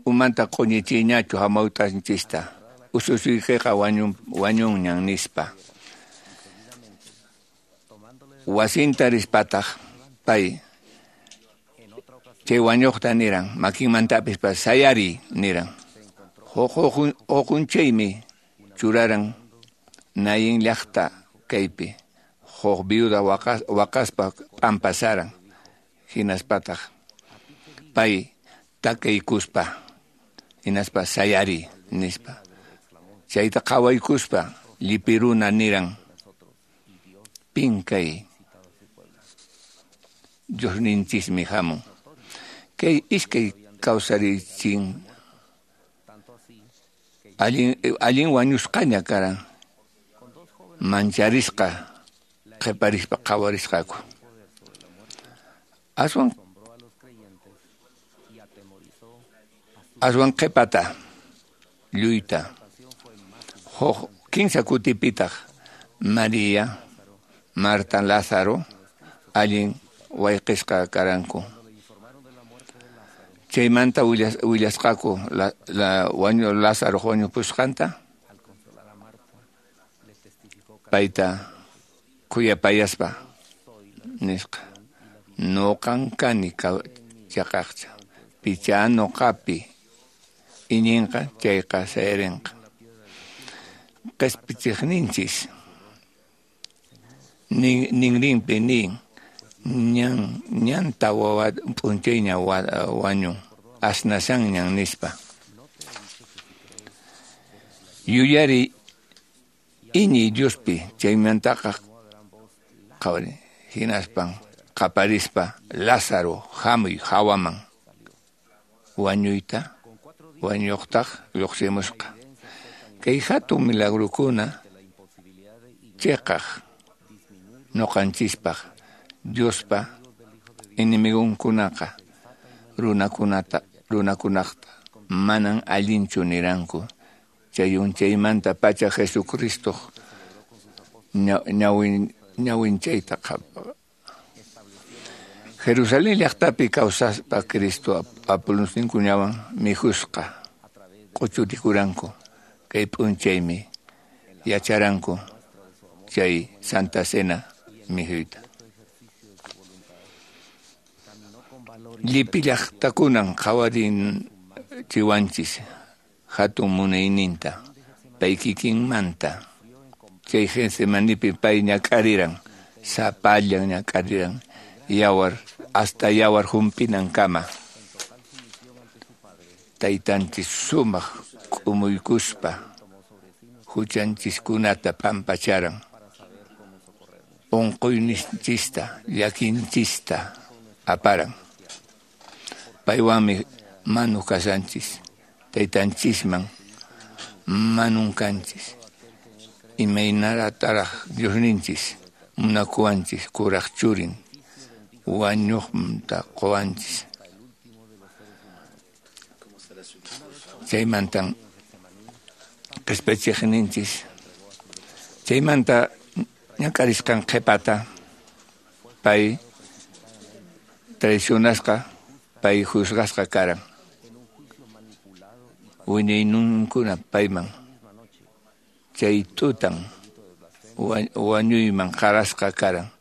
umanta q'uñichiyñachu hamawt'anchista, ususiykiqa wañunñan nispa. Wasinta rispataq pay chay wañuqta niran, makinmantapis sayari niran. Huqunchaymi churaran nayin llaqta kaypi, huk viuda waqaspa p'ampasaran. Hinaspataq pay takaykuspa hinaspa sayari nispa. Chayta qhawaykuspa llipiruna niran, pin kay Diosninchismi hamun. Kay iskay kawsarichin allin wañusqaña karan, mancharisqa qhiparispa qhawarisqaku. Aswan qhipata lluyta huk kinsa kutipitaq María, Marta, Lázaro allin wayqisqa karanku. Chaymanta willasqaku Lázaro wañupusqanta, payta khuyapayaspa nisqa, noqan kani chaqaqcha, picha noqapi iñinqa chayqa sayarinqa. Qhispichiqninchis Ninrinpi nin ñan tawa p'unchayña wañun asnasanñan nispa. Yuyari iñiy Diospi chaymantaqa qhawari hinaspan qaparispa Lázaro hamuy hawaman wañuyta wañuqtaq lluqsimusqa. Kay hatun milagrukuna chiqaq ñuqanchispaq Diospa enemigunkunaqa runakunaqta manan allinchu niranku. Chay unchaymanta pacha Jesucristo ñawinchayta Jerusalén llaqtapi kawsaspa Cristo apóstolninkunawan mikhusqa q'uchurikuranku. Kay p'unchaymi yacharanku chay Santa Cena mikhuyta. Llipi llaqtakunan qhawarinchiwanchis hatun munayninta pay kikinmanta. Chay Getsemanipi pay ñak'ariran, sapallan ñak'ariran, yawar hasta yawar humpinankama. Taytanchis sumaq k'umuykuspa huchanchiskunata pampacharan. Unquyninchista llakinchista aparan. Paywanmi manu kashanchis, taytanchisman manunkanchis. Imaynataraq Diosninchis munakuwanchis kuraq churin wañuqta quwanchis. Chaymantan qhispichiqninchis. Chaymanta ñak'arisqan qhipata pay traicionasqa, pay juzgasqa karan. Wiñayninkuna payman chay tutan wañuyman qarasqa karan.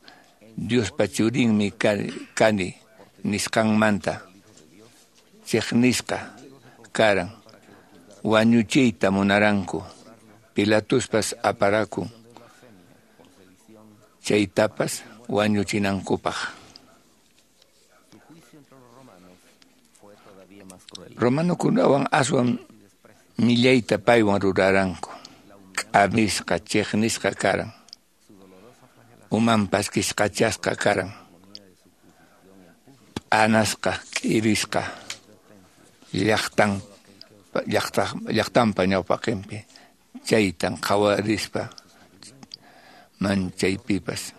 Diospa churinmi kani nisqanmanta chiqnisqa karan. Wañuchiyta munaranku. Pilatuspas aparakun chaytapas wañuchinankupaq. Romanokunawan aswan millayta paywan ruraranku. K'amisqa chiqnisqa karan. Umanpas kisqachasqa karan. P'anasqa k'irisqa llaqtanpa ñawpaqinpi chaytan qhawarispa manchaypipas.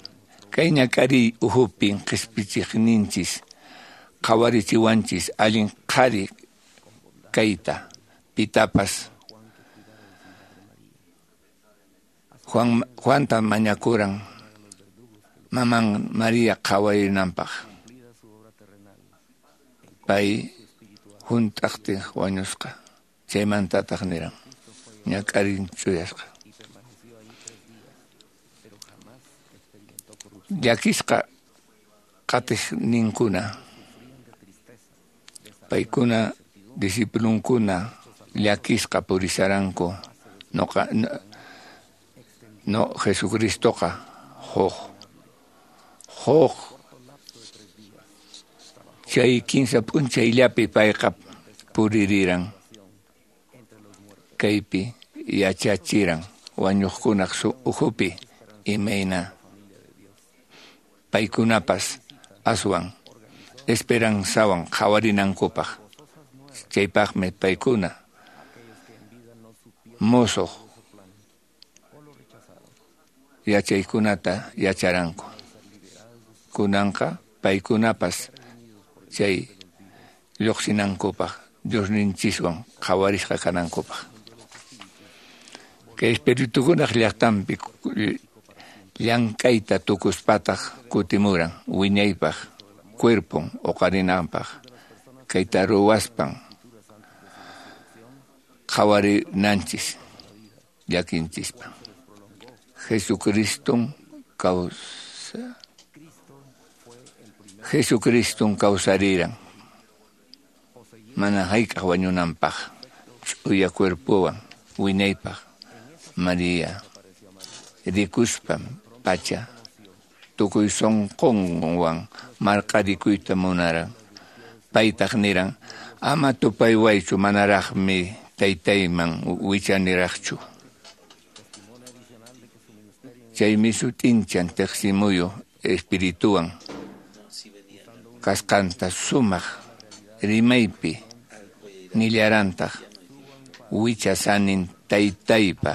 Kay ñak'ariy uhupin qhispichiqninchis qhawarichiwanchis allin qhari kayta pitapas. Juanta mañakuran maman María qhawarinanpaq. Pay hunt'aqtin wañusqa. Chaymantataq niran ñak'arin chuyasqa. Llakisqa qatiqninkuna paykuna discipulunkuna llakisqa purisharanku. No Jesucristoqa huq chay kinsa p'unchayllapi payqa puririran. Kaypi yachachiran wañuqkunaq ukhupi imayna paykunapas aswan esperanzawan qhawarinankupaq. Chaypaqmi paykuna musuq yachaykunata yacharanku. Kunanqa paykunapas chay lluqsinankupaq Diosninchiswan qhawarisqa kanankupaq. Kay espiritukunaq llaqtanpi llank'ayta tukuspataq kutimuran wiñaypaq cuerpon uqarinanpaq. Kayta ruwaspan qhawarinanchis llakinchispa. Jesucriston kawsariran mana hayk'aq wañunanpaq ch'uya cuerpowan wiñaypaq. María rikuspa pacha tukuy sunqunwan marqarikuyta munaran. Paytaq niran, ama tupaywaychu, manaraqmi taytayman wichaniraqchu. Chaymi sut'inchan tiqsimuyu espirituwan kasqanta sumaq rimaypi nillarantaq, wichasanin taytaypa,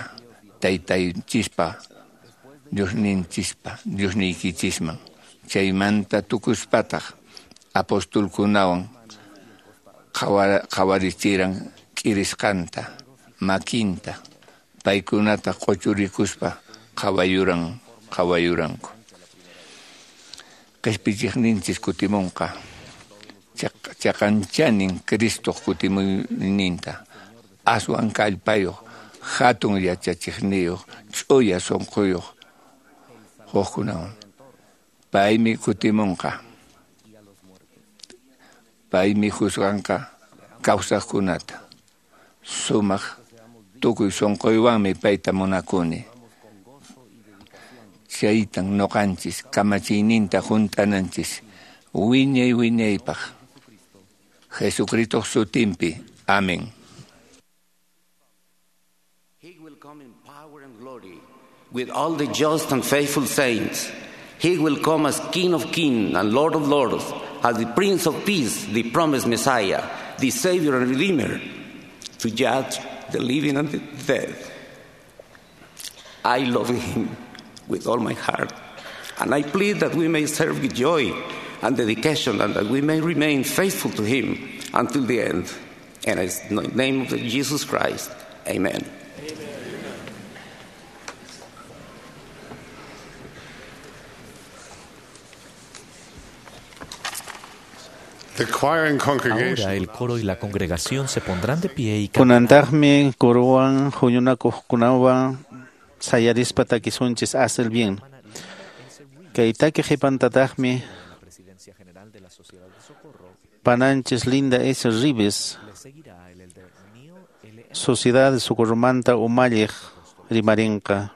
taytaychispa, Diosninchispa, Diosniykichisman. Chaymanta tukuspataq apostolkunawan qhawarichiran k'irisqanta, makinta, paykunata q'uchurikuspa qhawayuranku. Qhispichiqninchis kutimunqa, chaqanchanin Cristoq kutimuyninta, aswan kallpayuq, hatun yachachiqniyuq, ch'uya sunquyuq hukkunawan. Paymi kutimunqa. Paymi juzganqa kawsaqkunata. Sumaq tukuy sunquywanmi payta munakuni. Chaytan nuqanchis kamachiyninta hunt'ananchis wiñay wiñaypaq. Jesucristoq sutinpi. Amén. He will come in power and glory with all the just and faithful saints. He will come as King of kings and Lord of lords, as the Prince of Peace, the promised Messiah, the Savior and Redeemer, to judge the living and the dead. I love him with all my heart, and I plead that we may serve with joy and dedication, and that we may remain faithful to him until the end. And in the name of Jesus Christ, amen. Ahora el coro y la congregación se pondrán de pie y Kunantaqmi corowan huñunakuqkunawan sayarispa takisunchis haz el bien. Kay taki qhipantataqmi pananchis Linda S. Rives, Sociedad de Socorromanta umalliq rimarinqa.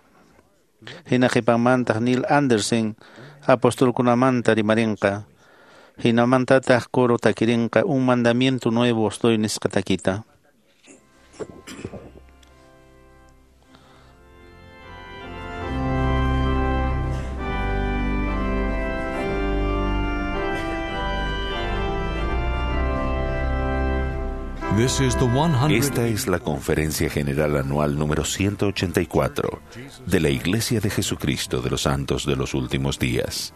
Hina qhipanmantaq Neil Andersen apostolkunamanta rimarinqa. Hinamantataq coro takirinqa un mandamiento nuevo os doy nisqa takita. Esta es la Conferencia General Anual número 184 de la Iglesia de Jesucristo de los Santos de los Últimos Días.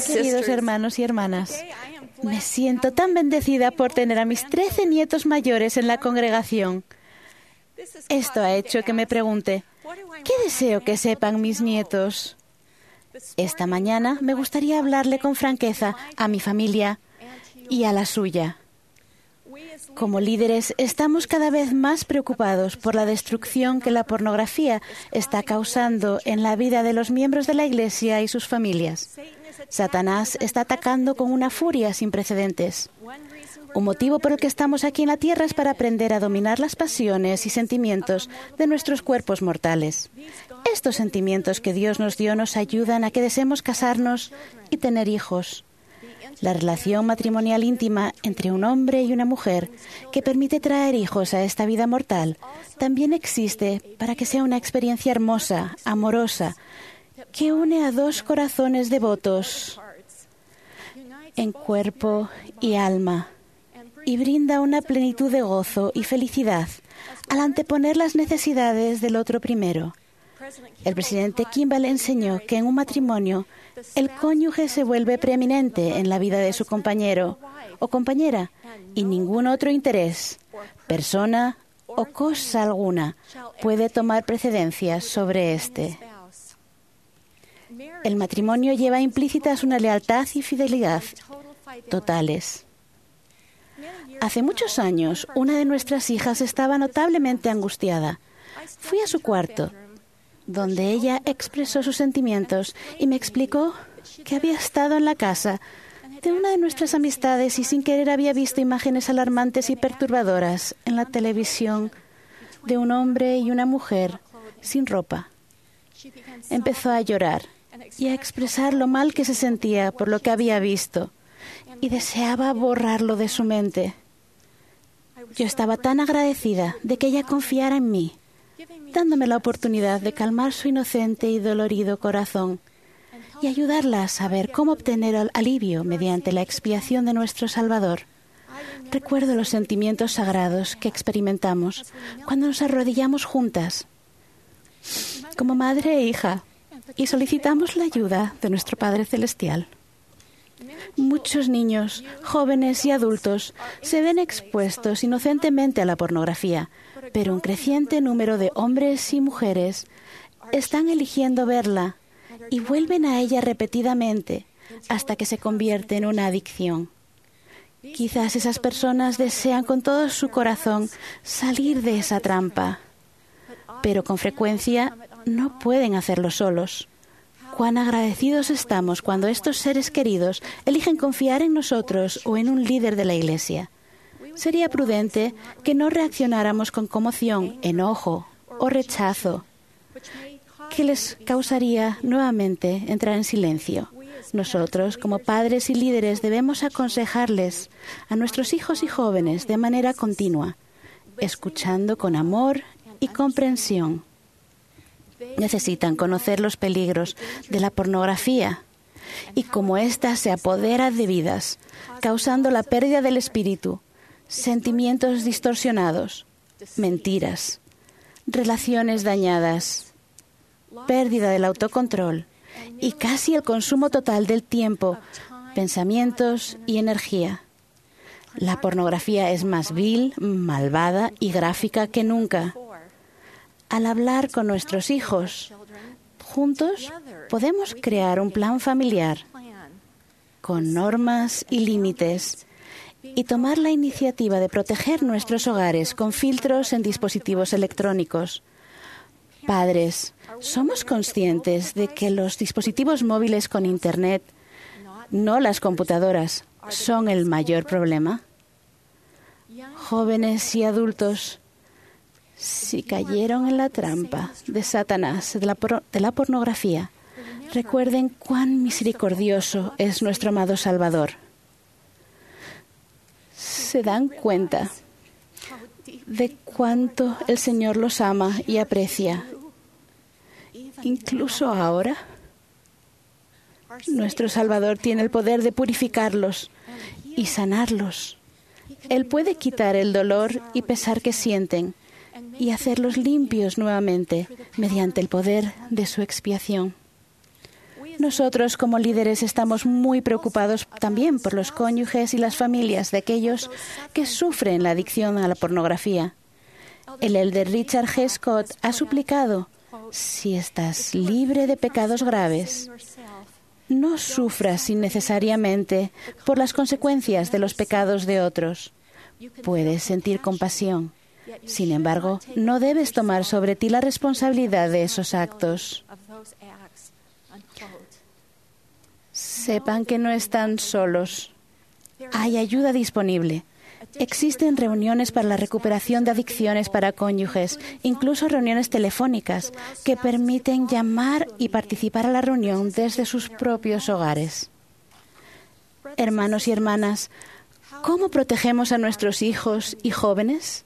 Queridos hermanos y hermanas, me siento tan bendecida por tener a mis 13 nietos mayores en la congregación. Esto ha hecho que me pregunte, ¿qué deseo que sepan mis nietos? Esta mañana me gustaría hablarle con franqueza a mi familia y a la suya. Como líderes, estamos cada vez más preocupados por la destrucción que la pornografía está causando en la vida de los miembros de la Iglesia y sus familias. Satanás está atacando con una furia sin precedentes. Un motivo por el que estamos aquí en la tierra es para aprender a dominar las pasiones y sentimientos de nuestros cuerpos mortales. Estos sentimientos que Dios nos dio nos ayudan a que deseemos casarnos y tener hijos. La relación matrimonial íntima entre un hombre y una mujer que permite traer hijos a esta vida mortal también existe para que sea una experiencia hermosa, amorosa, que une a dos corazones devotos en cuerpo y alma y brinda una plenitud de gozo y felicidad al anteponer las necesidades del otro primero. El presidente Kimball enseñó que en un matrimonio el cónyuge se vuelve preeminente en la vida de su compañero o compañera y ningún otro interés, persona o cosa alguna puede tomar precedencia sobre éste. El matrimonio lleva implícitas una lealtad y fidelidad totales. Hace muchos años, una de nuestras hijas estaba notablemente angustiada. Fui a su cuarto, donde ella expresó sus sentimientos y me explicó que había estado en la casa de una de nuestras amistades y sin querer había visto imágenes alarmantes y perturbadoras en la televisión de un hombre y una mujer sin ropa. Empezó a llorar y a expresar lo mal que se sentía por lo que había visto y deseaba borrarlo de su mente. Yo estaba tan agradecida de que ella confiara en mí, dándome la oportunidad de calmar su inocente y dolorido corazón y ayudarla a saber cómo obtener alivio mediante la expiación de nuestro Salvador. Recuerdo los sentimientos sagrados que experimentamos cuando nos arrodillamos juntas, como madre e hija, y solicitamos la ayuda de nuestro Padre Celestial. Muchos niños, jóvenes y adultos se ven expuestos inocentemente a la pornografía, pero un creciente número de hombres y mujeres están eligiendo verla y vuelven a ella repetidamente hasta que se convierte en una adicción. Quizás esas personas desean con todo su corazón salir de esa trampa, pero con frecuencia no pueden hacerlo solos. Cuán agradecidos estamos cuando estos seres queridos eligen confiar en nosotros o en un líder de la Iglesia. Sería prudente que no reaccionáramos con conmoción, enojo o rechazo, que les causaría nuevamente entrar en silencio. Nosotros, como padres y líderes, debemos aconsejarles a nuestros hijos y jóvenes de manera continua, escuchando con amor y comprensión. Necesitan conocer los peligros de la pornografía y cómo ésta se apodera de vidas, causando la pérdida del espíritu, sentimientos distorsionados, mentiras, relaciones dañadas, pérdida del autocontrol y casi el consumo total del tiempo, pensamientos y energía. La pornografía es más vil, malvada y gráfica que nunca. Al hablar con nuestros hijos, juntos podemos crear un plan familiar con normas y límites y tomar la iniciativa de proteger nuestros hogares con filtros en dispositivos electrónicos. Padres, ¿somos conscientes de que los dispositivos móviles con Internet, no las computadoras, son el mayor problema? Jóvenes y adultos, si cayeron en la trampa de Satanás, de la pornografía, recuerden cuán misericordioso es nuestro amado Salvador. Se dan cuenta de cuánto el Señor los ama y aprecia. Incluso ahora, nuestro Salvador tiene el poder de purificarlos y sanarlos. Él puede quitar el dolor y pesar que sienten y hacerlos limpios nuevamente mediante el poder de su expiación. Nosotros como líderes estamos muy preocupados también por los cónyuges y las familias de aquellos que sufren la adicción a la pornografía. El elder Richard G. Scott ha suplicado, si estás libre de pecados graves, no sufras innecesariamente por las consecuencias de los pecados de otros. Puedes sentir compasión. Sin embargo, no debes tomar sobre ti la responsabilidad de esos actos. Sepan que no están solos. Hay ayuda disponible. Existen reuniones para la recuperación de adicciones para cónyuges, incluso reuniones telefónicas que permiten llamar y participar a la reunión desde sus propios hogares. Hermanos y hermanas, ¿cómo protegemos a nuestros hijos y jóvenes?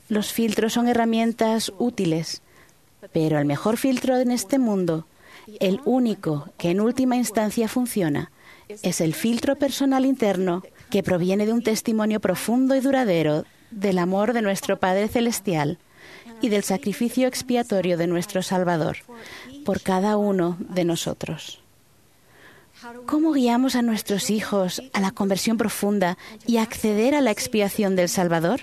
Los filtros son herramientas útiles, pero el mejor filtro en este mundo, el único que en última instancia funciona, es el filtro personal interno que proviene de un testimonio profundo y duradero del amor de nuestro Padre Celestial y del sacrificio expiatorio de nuestro Salvador por cada uno de nosotros. ¿Cómo guiamos a nuestros hijos a la conversión profunda y a acceder a la expiación del Salvador?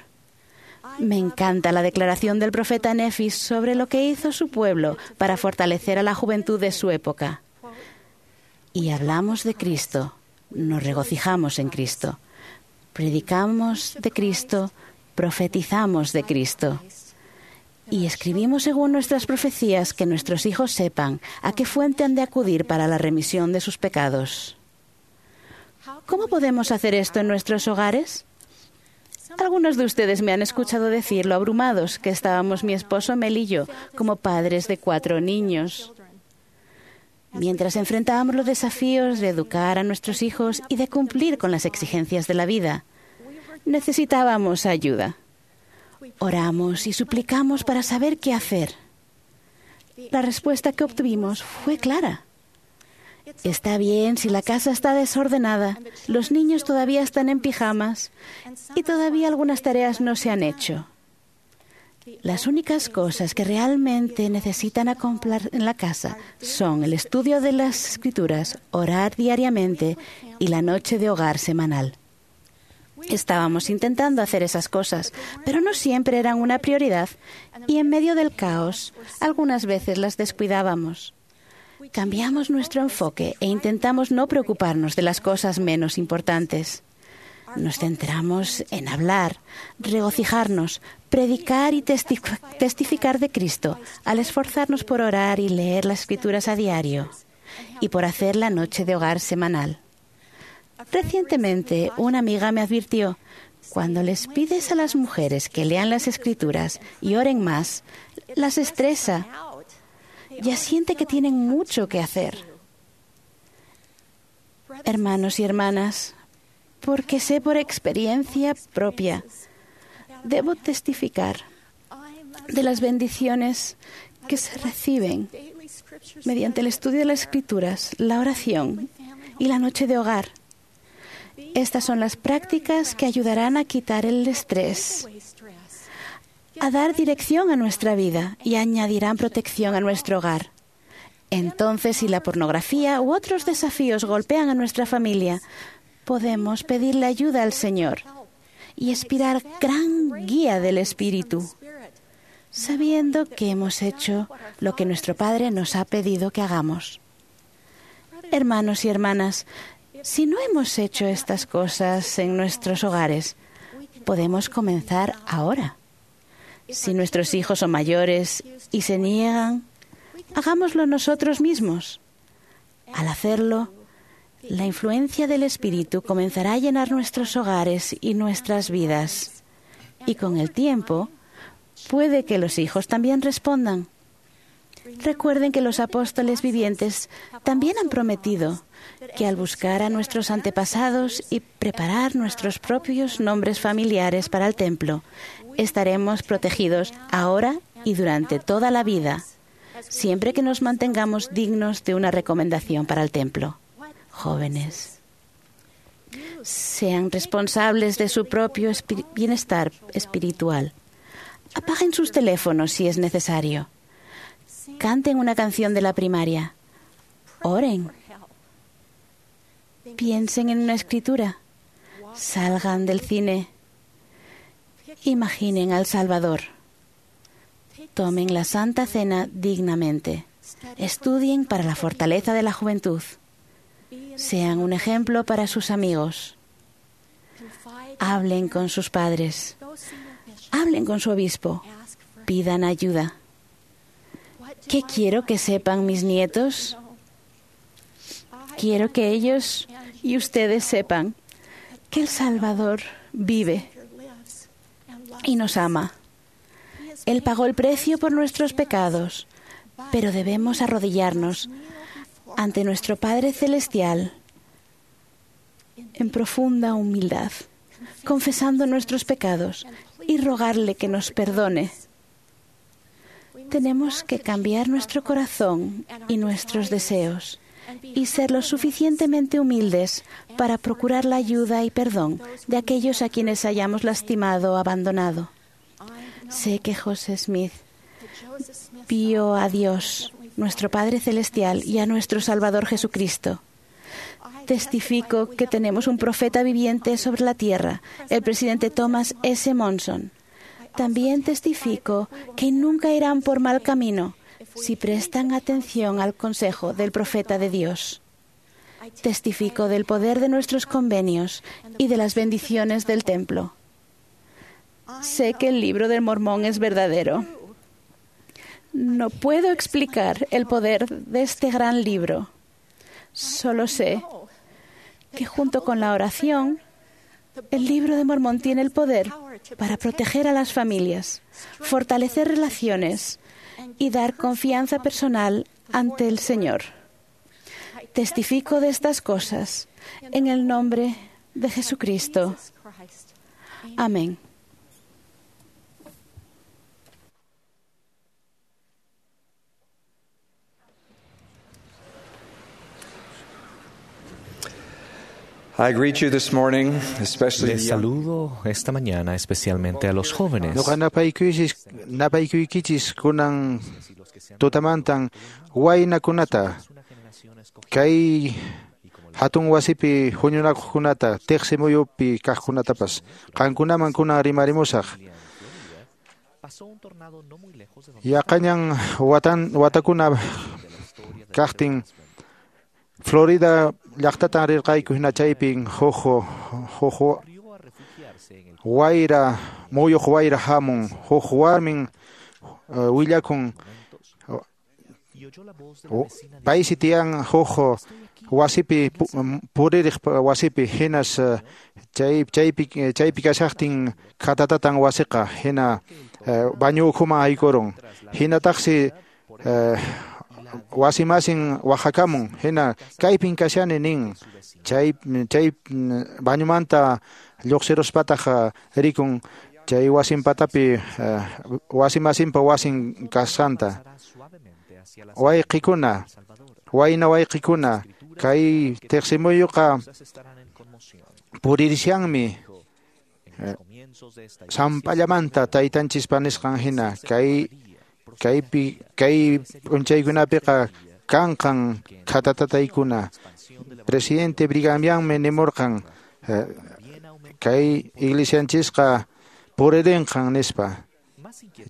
Me encanta la declaración del profeta Nefis sobre lo que hizo su pueblo para fortalecer a la juventud de su época. Y hablamos de Cristo, nos regocijamos en Cristo, predicamos de Cristo, profetizamos de Cristo. Y escribimos según nuestras profecías que nuestros hijos sepan a qué fuente han de acudir para la remisión de sus pecados. ¿Cómo podemos hacer esto en nuestros hogares? Algunos de ustedes me han escuchado decir lo abrumados que estábamos mi esposo Mel y yo como padres de 4 niños. Mientras enfrentábamos los desafíos de educar a nuestros hijos y de cumplir con las exigencias de la vida, necesitábamos ayuda. Oramos y suplicamos para saber qué hacer. La respuesta que obtuvimos fue clara. Está bien si la casa está desordenada, los niños todavía están en pijamas y todavía algunas tareas no se han hecho. Las únicas cosas que realmente necesitan acoplar en la casa son el estudio de las Escrituras, orar diariamente y la noche de hogar semanal. Estábamos intentando hacer esas cosas, pero no siempre eran una prioridad y en medio del caos algunas veces las descuidábamos. Cambiamos nuestro enfoque e intentamos no preocuparnos de las cosas menos importantes. Nos centramos en hablar, regocijarnos, predicar y testificar de Cristo al esforzarnos por orar y leer las Escrituras a diario y por hacer la noche de hogar semanal. Recientemente, una amiga me advirtió, cuando les pides a las mujeres que lean las Escrituras y oren más, las estresa. Ya siente que tienen mucho que hacer. Hermanos y hermanas, porque sé por experiencia propia, debo testificar de las bendiciones que se reciben mediante el estudio de las Escrituras, la oración y la noche de hogar. Estas son las prácticas que ayudarán a quitar el estrés, a dar dirección a nuestra vida y añadirán protección a nuestro hogar. Entonces, si la pornografía u otros desafíos golpean a nuestra familia, podemos pedirle ayuda al Señor y aspirar gran guía del Espíritu, sabiendo que hemos hecho lo que nuestro Padre nos ha pedido que hagamos. Hermanos y hermanas, si no hemos hecho estas cosas en nuestros hogares, podemos comenzar ahora. Si nuestros hijos son mayores y se niegan, hagámoslo nosotros mismos. Al hacerlo, la influencia del Espíritu comenzará a llenar nuestros hogares y nuestras vidas. Y con el tiempo, puede que los hijos también respondan. Recuerden que los apóstoles vivientes también han prometido que al buscar a nuestros antepasados y preparar nuestros propios nombres familiares para el templo, estaremos protegidos ahora y durante toda la vida, siempre que nos mantengamos dignos de una recomendación para el templo. Jóvenes, sean responsables de su propio bienestar espiritual. Apaguen sus teléfonos si es necesario. Canten una canción de la primaria. Oren. Piensen en una escritura. Salgan del cine. Imaginen al Salvador. Tomen la Santa Cena dignamente. Estudien para la fortaleza de la juventud. Sean un ejemplo para sus amigos. Hablen con sus padres. Hablen con su obispo. Pidan ayuda. ¿Qué quiero que sepan mis nietos? Quiero que ellos y ustedes sepan que el Salvador vive y nos ama. Él pagó el precio por nuestros pecados, pero debemos arrodillarnos ante nuestro Padre Celestial en profunda humildad, confesando nuestros pecados y rogarle que nos perdone. Tenemos que cambiar nuestro corazón y nuestros deseos y ser lo suficientemente humildes para procurar la ayuda y perdón de aquellos a quienes hayamos lastimado o abandonado. Sé que José Smith vio a Dios, nuestro Padre Celestial, y a nuestro Salvador Jesucristo. Testifico que tenemos un profeta viviente sobre la tierra, el presidente Thomas S. Monson. También testifico que nunca irán por mal camino si prestan atención al consejo del profeta de Dios. Testifico del poder de nuestros convenios y de las bendiciones del templo. Sé que el libro del Mormón es verdadero. No puedo explicar el poder de este gran libro. Solo sé que junto con la oración, el libro de Mormón tiene el poder para proteger a las familias, fortalecer relaciones y dar confianza personal ante el Señor. Testifico de estas cosas en el nombre de Jesucristo. Amén. I greet you this morning, especially Les the young. saludo esta mañana especialmente a los jóvenes. Noqa napaykuykichis kunan tutamantan waynakunata kay hatun wasipi huñunakuqkunata tiqsi muyupi kaqkunatapas qankunaman kunan rimarimusaq. Yaqañan watakuna kaqtin Florida llaqtatan rirqayku hina chaypin huk wayra muyuq wayra hamun huk warmin willakun paysi tiyan huk wasipi puririq wasipi hinas chaypi kashaqtin khatatatan wasiqa hina bañu ukhuman haykurun hinataqsi wasimasin waqhakamun hina kaypin kashani nin chay bañumanta lluqsiruspataq rikun chay wasinpatapi wasimasinpa wasin kasqanta. Wayqikuna wayna wayqikuna kay tiqsimuyuqa puririshanmi samp'allamanta taytanchispa nisqan hina kay kay p'unchaykunapiqa kanqan khatatataykuna. Presidente Brigham Youngmi nimurqan kay iglesianchisqa puririnqan nispa.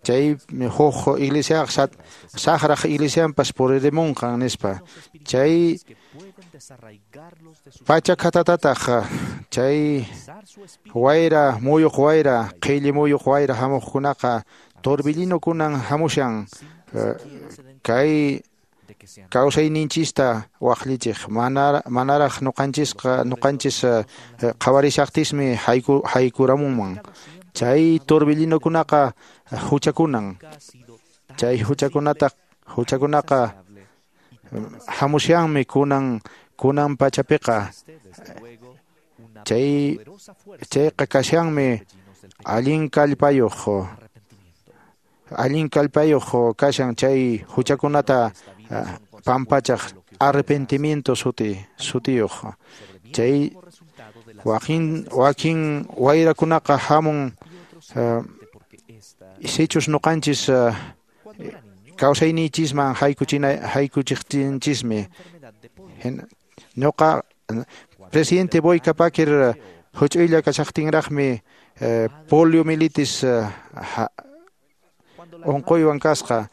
Chay huk iglesiaqa saqraq iglesianpas puririmunqan nispa. Chay pacha khatatataq chay wayra muyuq wayra qhilli muyuq wayra hamuqkunaqa torbellinokunan hamushan kay kawsayninchista waqllichiq manaraq nuqanchis qhawarishaqtismi haykuramunman. Chay torbellinokunaqa huchakunan. Chay huchakunaqa hamushanmi kunan pachapiqa. Chayqa kashanmi allin kallpayuq. Allin kallpayuq kashan chay huchakunata pampachaq arrepentimiento sutiyuq. Chay wakin wayrakunaqa hamun sichus nuqanchis kawsayninchisman haykuchiqtinchismi. Ñuqa presidente Boyka Packer huch'uylla kashaqtinraqmi poliomielitis unquywan kasqa.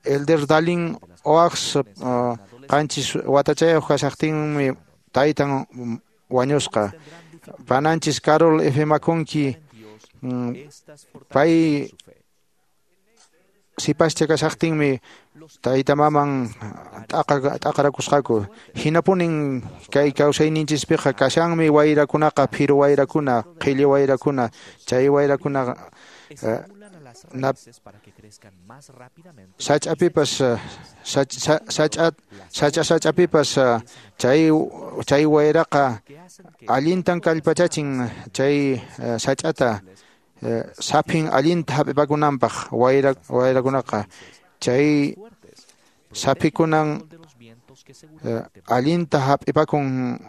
Elder Dalin Oaks qanchis watachayuq kashaqtinmi taytan wañusqa. Pananchis Carol F. McConkie pay sipascha kashaqtinmi tayta maman t'aqarakusqaku. Hinapunin kay kawsayninchispiqa kashanmi wayrakunaqa, phiru wayrakuna, qhilli wayrakuna, chay wayrakuna sach'apipas sach'apipas chay wayraqa allintan kallpachachin chay sach'ata saphin allinta hap'ipakunanpaq wayrakunaqa chay saphikunan allinta hap'ipakun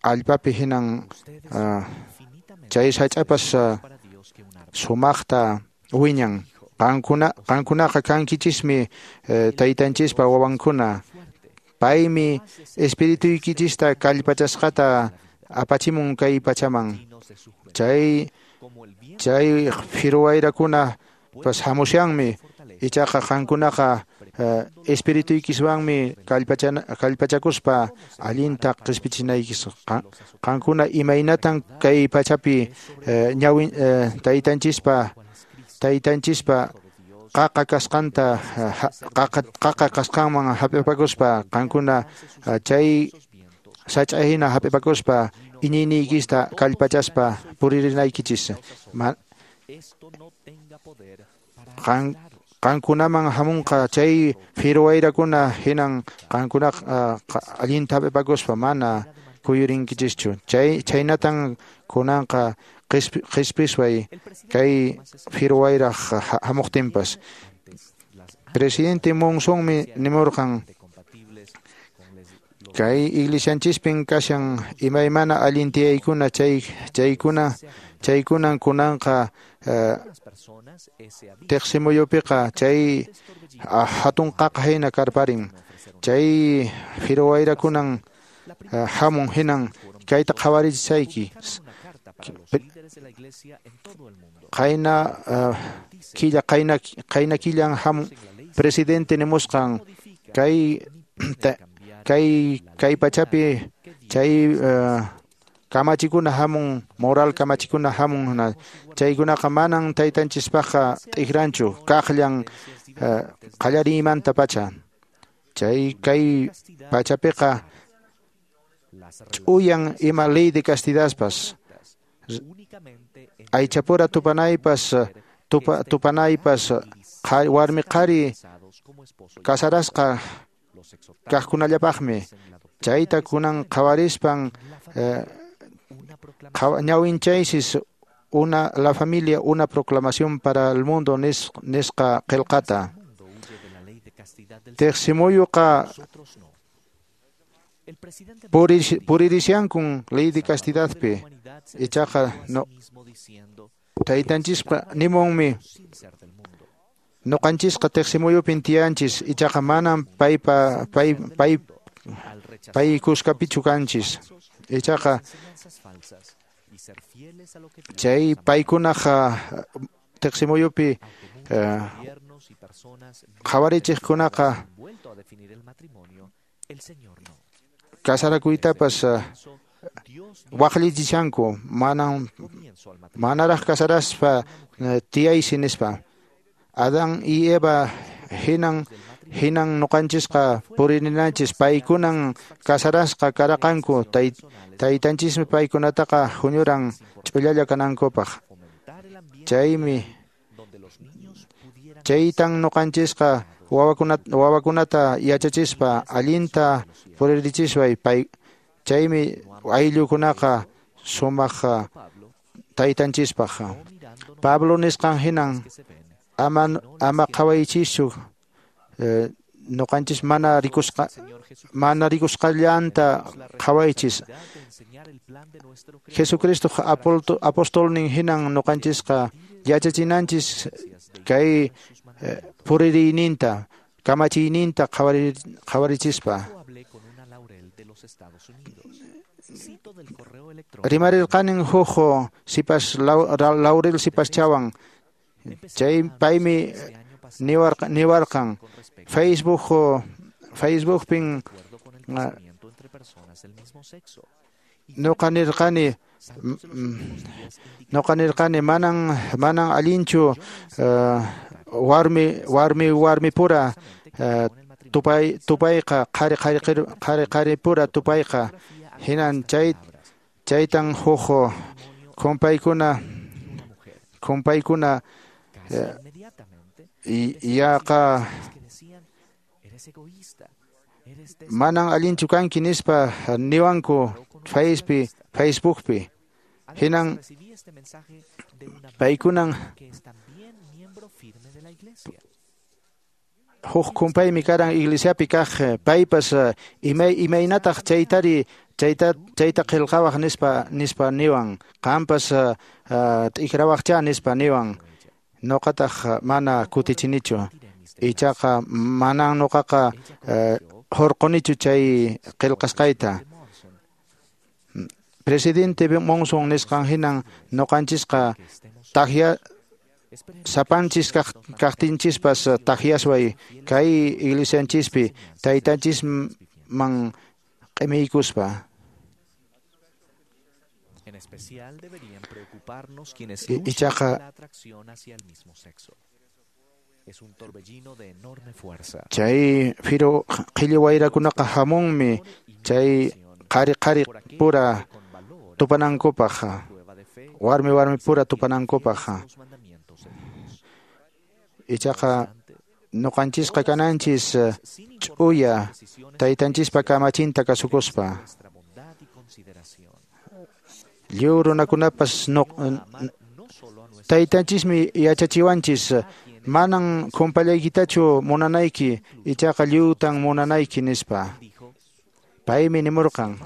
allpapi hinan chay sach'apas sumaqta wiñan. Qankunaqa kankichismi taytanchispa wawankuna. Paymi espirituykichista kallpachasqata apachimun kay pachaman. Chay phiru wayrakuna pas hamushanmi, ichaqa qankunaqa espirituykiswanmi kallpachakuspa allinta qispichinaykichis. Qankuna imaynatan kay pachapi ñawin taytanchispa qaqa kasqanta qaqa kasqanman hap'ipakuspa qankuna chay sach'a hina hap'ipakuspa iñiyniykista kallpachaspa puririnaykichis. Qankunaman hamunqa chay phiru wayrakuna hinan qankuna allinta hap'ipakuspa mana kuyurinkichischu. Chaynatan kunanqa qhispisway kay phiru wayraq hamuqtinpas. Presidente Monsonmi nimurqan kay iglesianchispin kashan imaymana allin tiyaykuna chaykunan kunanqa tiqsimuyupiqa chay hatun qaqa hina karparin. Chay phiru wayrakunan hamun hinan kayta qhawarichisayki. Qayna killan hamun presidente nimusqan kay pachapi chay kamachikuna hamun, moral kamachikuna hamun, chaykunaqa manan taytanchispaqqa t'ikranchu, kaqllan qallariymanta pacha. Chay kay pachapiqa ch'uyan ima ley de castidadpas, aychapura tupanaypas warmi qhari kasarasqa kaqkunallapaqmi. Chayta kunan qhawarispan ñawinchaysis la familia una proclamación para el mundo nisqa qillqata. Tiqsimuyuqa puririshankun ley de castidadpi, ichaqa no taytanchisqa nimunmi nuqanchisqa tiqsimuyupin tiyanchis, ichaqa manan pay kuskapichu kanchis. Ichaqa chay paykunaqa tiqsimuyupi qhawarichiqkunaqa kasarakuytapas waqllichishanku, manaraq kasaraspa tiyaysi nispa. Adán y Eva hinan nuqanchisqa puririnanchis, paykunan kasarasqa karaqanku, taytanchismi paykunataqa huñuran ch'ullalla kanankupaq. Chaytan nuqanchisqa wawakunata yachachispa allinta puririchisway, chaymi ayllukunaqa sumaq taytanchispaq. Pablo nisqan hinan ama qhawaychischu nuqanchis mana rikusqallanta qhawaychis. Jesucristo apostolnin hinan nuqanchisqa yachachinanchis kay puririyninta, kamachiyninta qhawarichispa. Rimarirqanin huk sipas Laurel sipaschawan chay paymi niwarqan Facebookpin Noqa nirqani manan allinchu warmi pura tupayqa qhari pura tupayqa hinan chaytan huk kumpaykuna yaqa manan allinchu kanki nispa niwanku Facebookpi hinan paykunan huk kumpaymi karan iglesiapi kaq paypas imaynataq chaytari chayta qillqawaq nispa niwan qampas t'ikrawaqcha nispa niwan noqataq mana kutichinichu ichaqa manan noqaqa hurqunichu chay qillqasqayta. Presidente Monson nisqan hinan noqanchisqa takya sapanchis kaqtinchispas takyasway kay iglesianchispi taytanchisman q'imiykuspa. En especial deberían preocuparnos quienes luchan Ichaqa la atracción hacia el mismo sexo. Es un torbellino de enorme fuerza. Chay firu qhilli wayrakunaqa hamunmi chay qhari qhari pura tupanankupaq warmi warmi pura tupanankupaq ichaqa noqanchisqa kananchis ch'uya taytanchispa kamachinta kasukuspa lliw runakunapas taytanchismi yachachiwanchis manan kumpallaykitachu munanayki ichaqa lliwtan munanayki nispa paymi nimurqan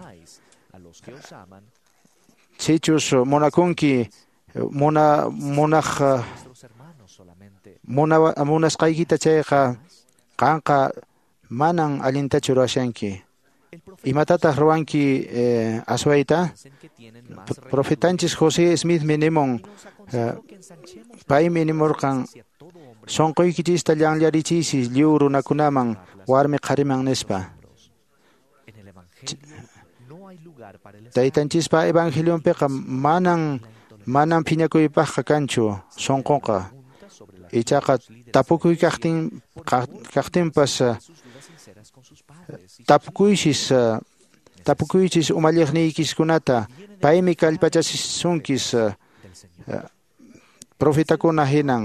sichus munakunki munasqaykita chayqa qanqa manan allintachu ruwashanki imatataq ruwanki aswayta profetanchis José Smithmi nimun paymi nimurqan sunquykichista llanllarichiysis lliw runakunaman warmi qhariman nispa taytanchispa evangelionpiqa manan phiñakuypaqqa kanchu sunqunqa ichaqa tapukuy kaqtinpas tapukuychis umalliqniykiskunata paymi kallpachasunkis profetakuna hinan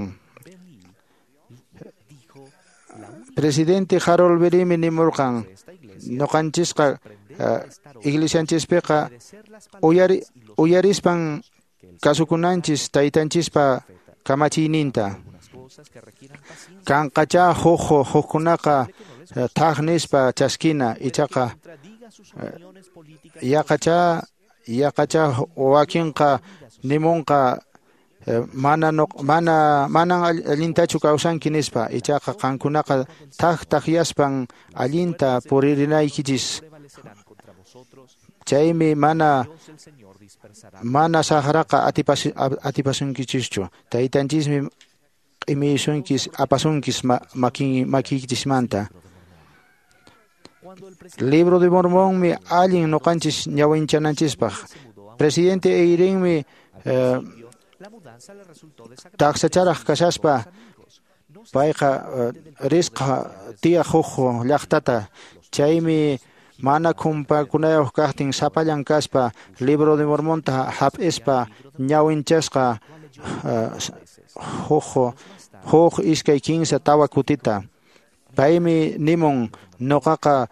presidente Harold Berimi nimurqan noqanchisqa iglesianchispiqa uyarispan kasukunanchis taytanchispa kamachiyninta kanqachá hukkunaqa thaq nispa chaskina ichaqa yaqachá wakinqa nimunqa manan allintachu kawsanki nispa ichaqa qankunaqa thaq taqyaspan allinta puririnaykichis chaymi mana saqraqa atipasunkichischu taytanchismi q'imiysunkis apasunkis makiykichismanta Libro de Mormonmi allin noqanchis ñawinchananchispaq presidente Eyringmi taqsacharaq kashaspa payqa risqa tiyaq huk llaqtata chaymi mana kumpakunayuq kaqtin sapallan kaspa Libro de Mormonta hap'ispa ñawinchasqa huk iskay kinsa tawa kutita paymi nimun noqaqa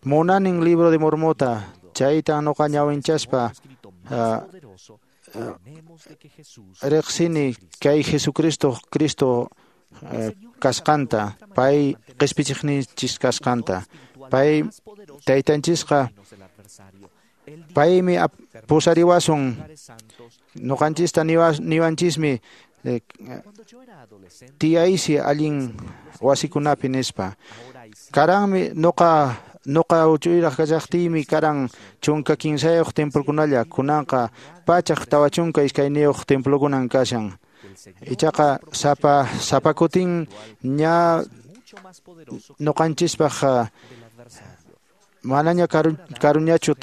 munanin Libro de Mormonta chayta noqa ñawinchaspa riqsini kay Jesucristo Cristo kasqanta pay qispichiqninchis kasqanta pay taytanchisqa paymi pusariwasun noqanchista niwanchismi tiyaysi allin wasikunapi nispa karanmi Noqa uchuyraq kashaqtiymi karan 13 templokunalla, kunanqa 142 templokunan kashan. Ichaqa sapa kutin ña noqanchispaq manaña karuñachu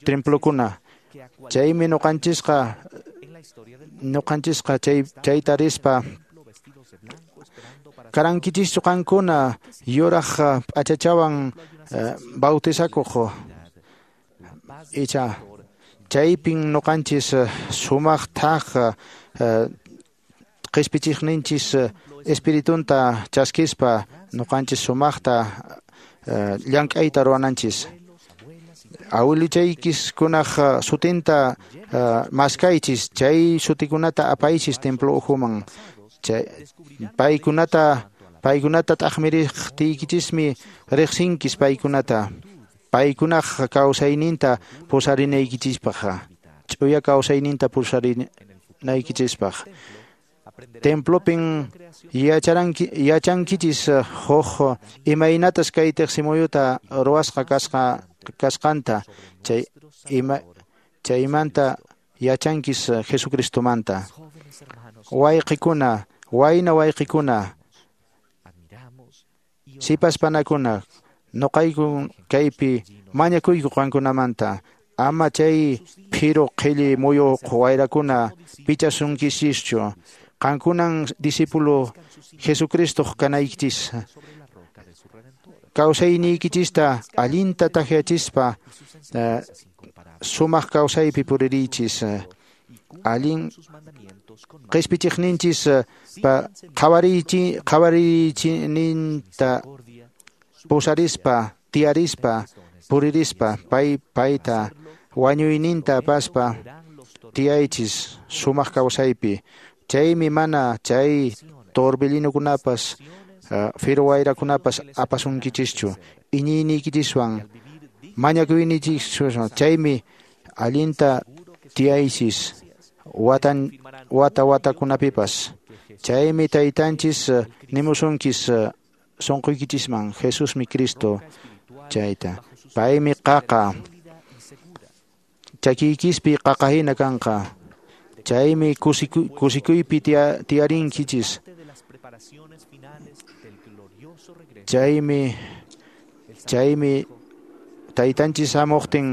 templokuna. Chaymi noqanchisqa chayta rispa karankichischu qankuna yuraq p'achachawan bautizakuq. Icha chaypin noqanchis sumaq thaq qhispichiqninchis espiritunta chaskispa noqanchis sumaqta llank'ayta ruwananchis. Awiluchaykiskunaq sutinta maskaychis, chay sutikunata apaychis templo ukhuman. Paykunata t'aqmiriqtiykichismi riqsinkis paykunata. Paykunaq kawsayninta pusarinaykichispaq, ch'uya kawsayninta pusarinaykichispaq. Templopin yachankichis huk imaynatas kay tiqsimuyuta ruwasqa kasqanta, chaymanta yachankis Jesucristomanta. Wayqikuna, wayna wayqikuna, sipas panakuna, noqayku kaypi mañakuyku qankunamanta, ama chay phiru qhilli muyuq wayrakuna pichasunkichischu. Qankunan discípulo Jesucristoq kanaykichis. Kawsayniykichista allinta takyachispa sumaq kawsaypi puririychis. Allin qhispichiqninchis qhawariychininta pusarispa, tiyarispa, puririspa, payta wañuyninta apaspa tiyaychis sumaq kawsaypi. Chaymi mana chay torbellinokunapas firu wayrakunapas apasunkichischu. Iñiyniykichiswan mañakuyniykichiswan chaymi allinta tiyaychis wata watakunapipas. Chaymi taytanchis nimusunkis sunquykichisman Jesusmi Cristo chayta. Paymi qaqa chakiykispi qaqa hina kanqa. Chaymi kusikuypi tiyarinkichis. Chaymi taytanchis hamuqtin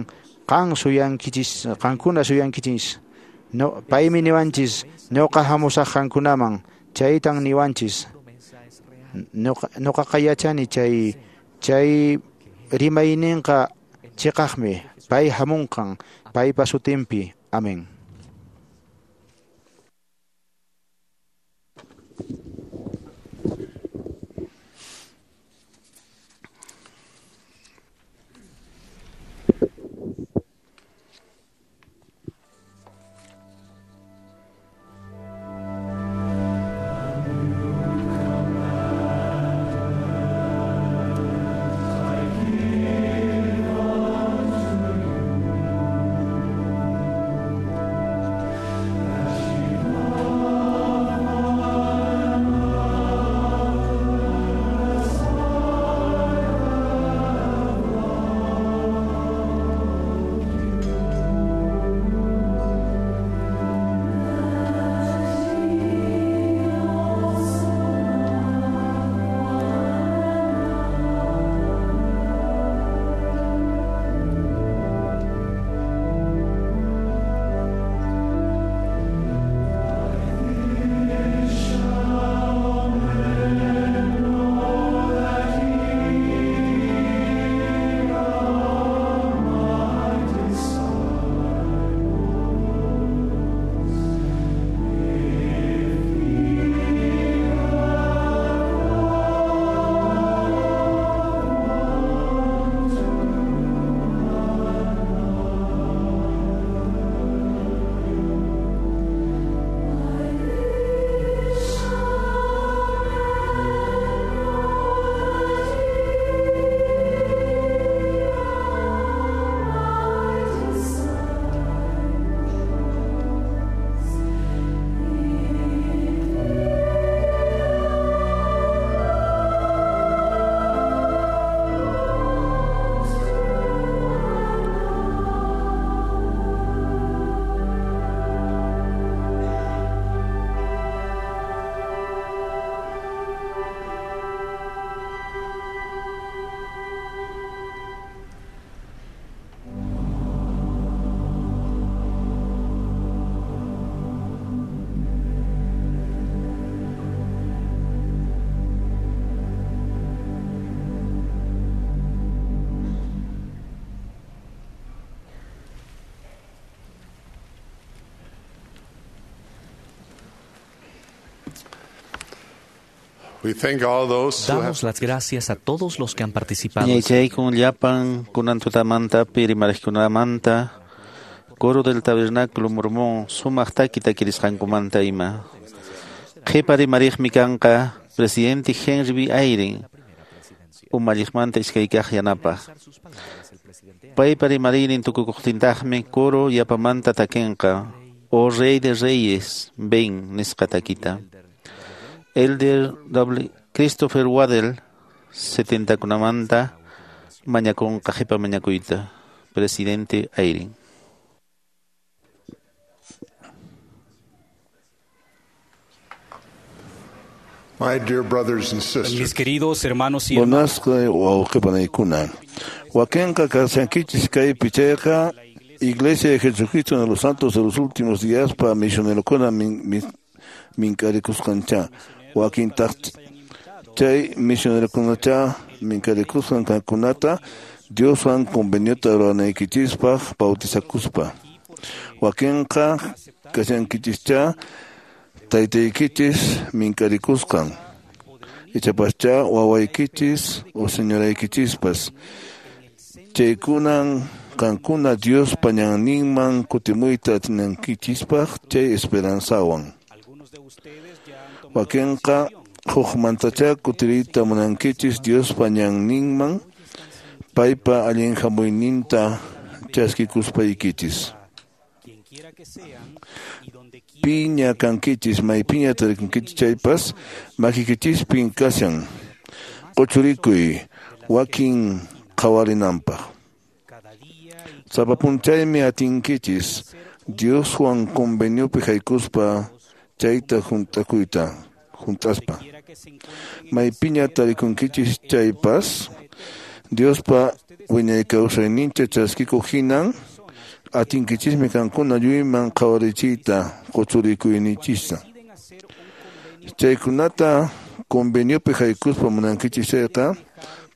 qan suyankichis, qankuna suyankichis. No, paymi niwanchis ñuqa hamusaq qankunaman, chaytan niwanchis. Ñuqaqa yachani chay rimayninqa chiqaqmi, pay hamunqan, paypa sutinpi. Amén. Damos las gracias a todos los que han participado. Ñaychaykun llapan kunan tutamantapi rimariqkunamanta coro del tabernáculo mormón sumaq taki takirisqankumanta ima. Qhipa rimariqmi kanqa presidente Henry B. Eyring umalliqmanta iskaykaq yanapaq. Paypa rimariynin tukukuqtintaqmi coro yapamanta takinqa O Rey de Reyes, ven nisqa takita. Elder W. Christopher Waddell 70kunamanta mañakunqa qhipa mañakuyta. Presidente Eyring. My dear brothers and sisters, Mis queridos hermanos y hermanas, Munasqa wawqipanaykuna. Wakinqa kashankichis kaypi chayqa Iglesia de Jesucristo de los Santos de los Últimos Días pa misionerokuna minkarikusqancha. Wakintaq chay misionerokunacha minkarikusqan kankunata Dioswan conveniota ruwanaykichispaq bautizakuspa. Wakinqa kashankichischa taytaykichis minkarikusqan. Ichapascha wawaykichis o señoraykichispas. Chaykunan qankuna Dios pañanninman kutimuyta atinankichispaq chay esperanzawan. Wakinqa hukmantacha kutiriyta munankichis Dios pañanninman paypa allin hamuyninta chaskikuspaykichis. Piña kankichis maypiña tarikunkichis chaypas makikichispin kashan quchurikuy wakin qhawarinanpaq. Sapa p'unchaymi atinkichis Dioswan conveniopi haykuspa chayta hunt'akuyta hunt'aspa. Maypiña tarikunkichis chaypas Diospa wiñay kawsayninta chaskikuq hinan atinkichismi kankuna lluyman qhawarichiyta quchurikuyninchista. Chaykunata conveniopi haykuspa munankichis chayqa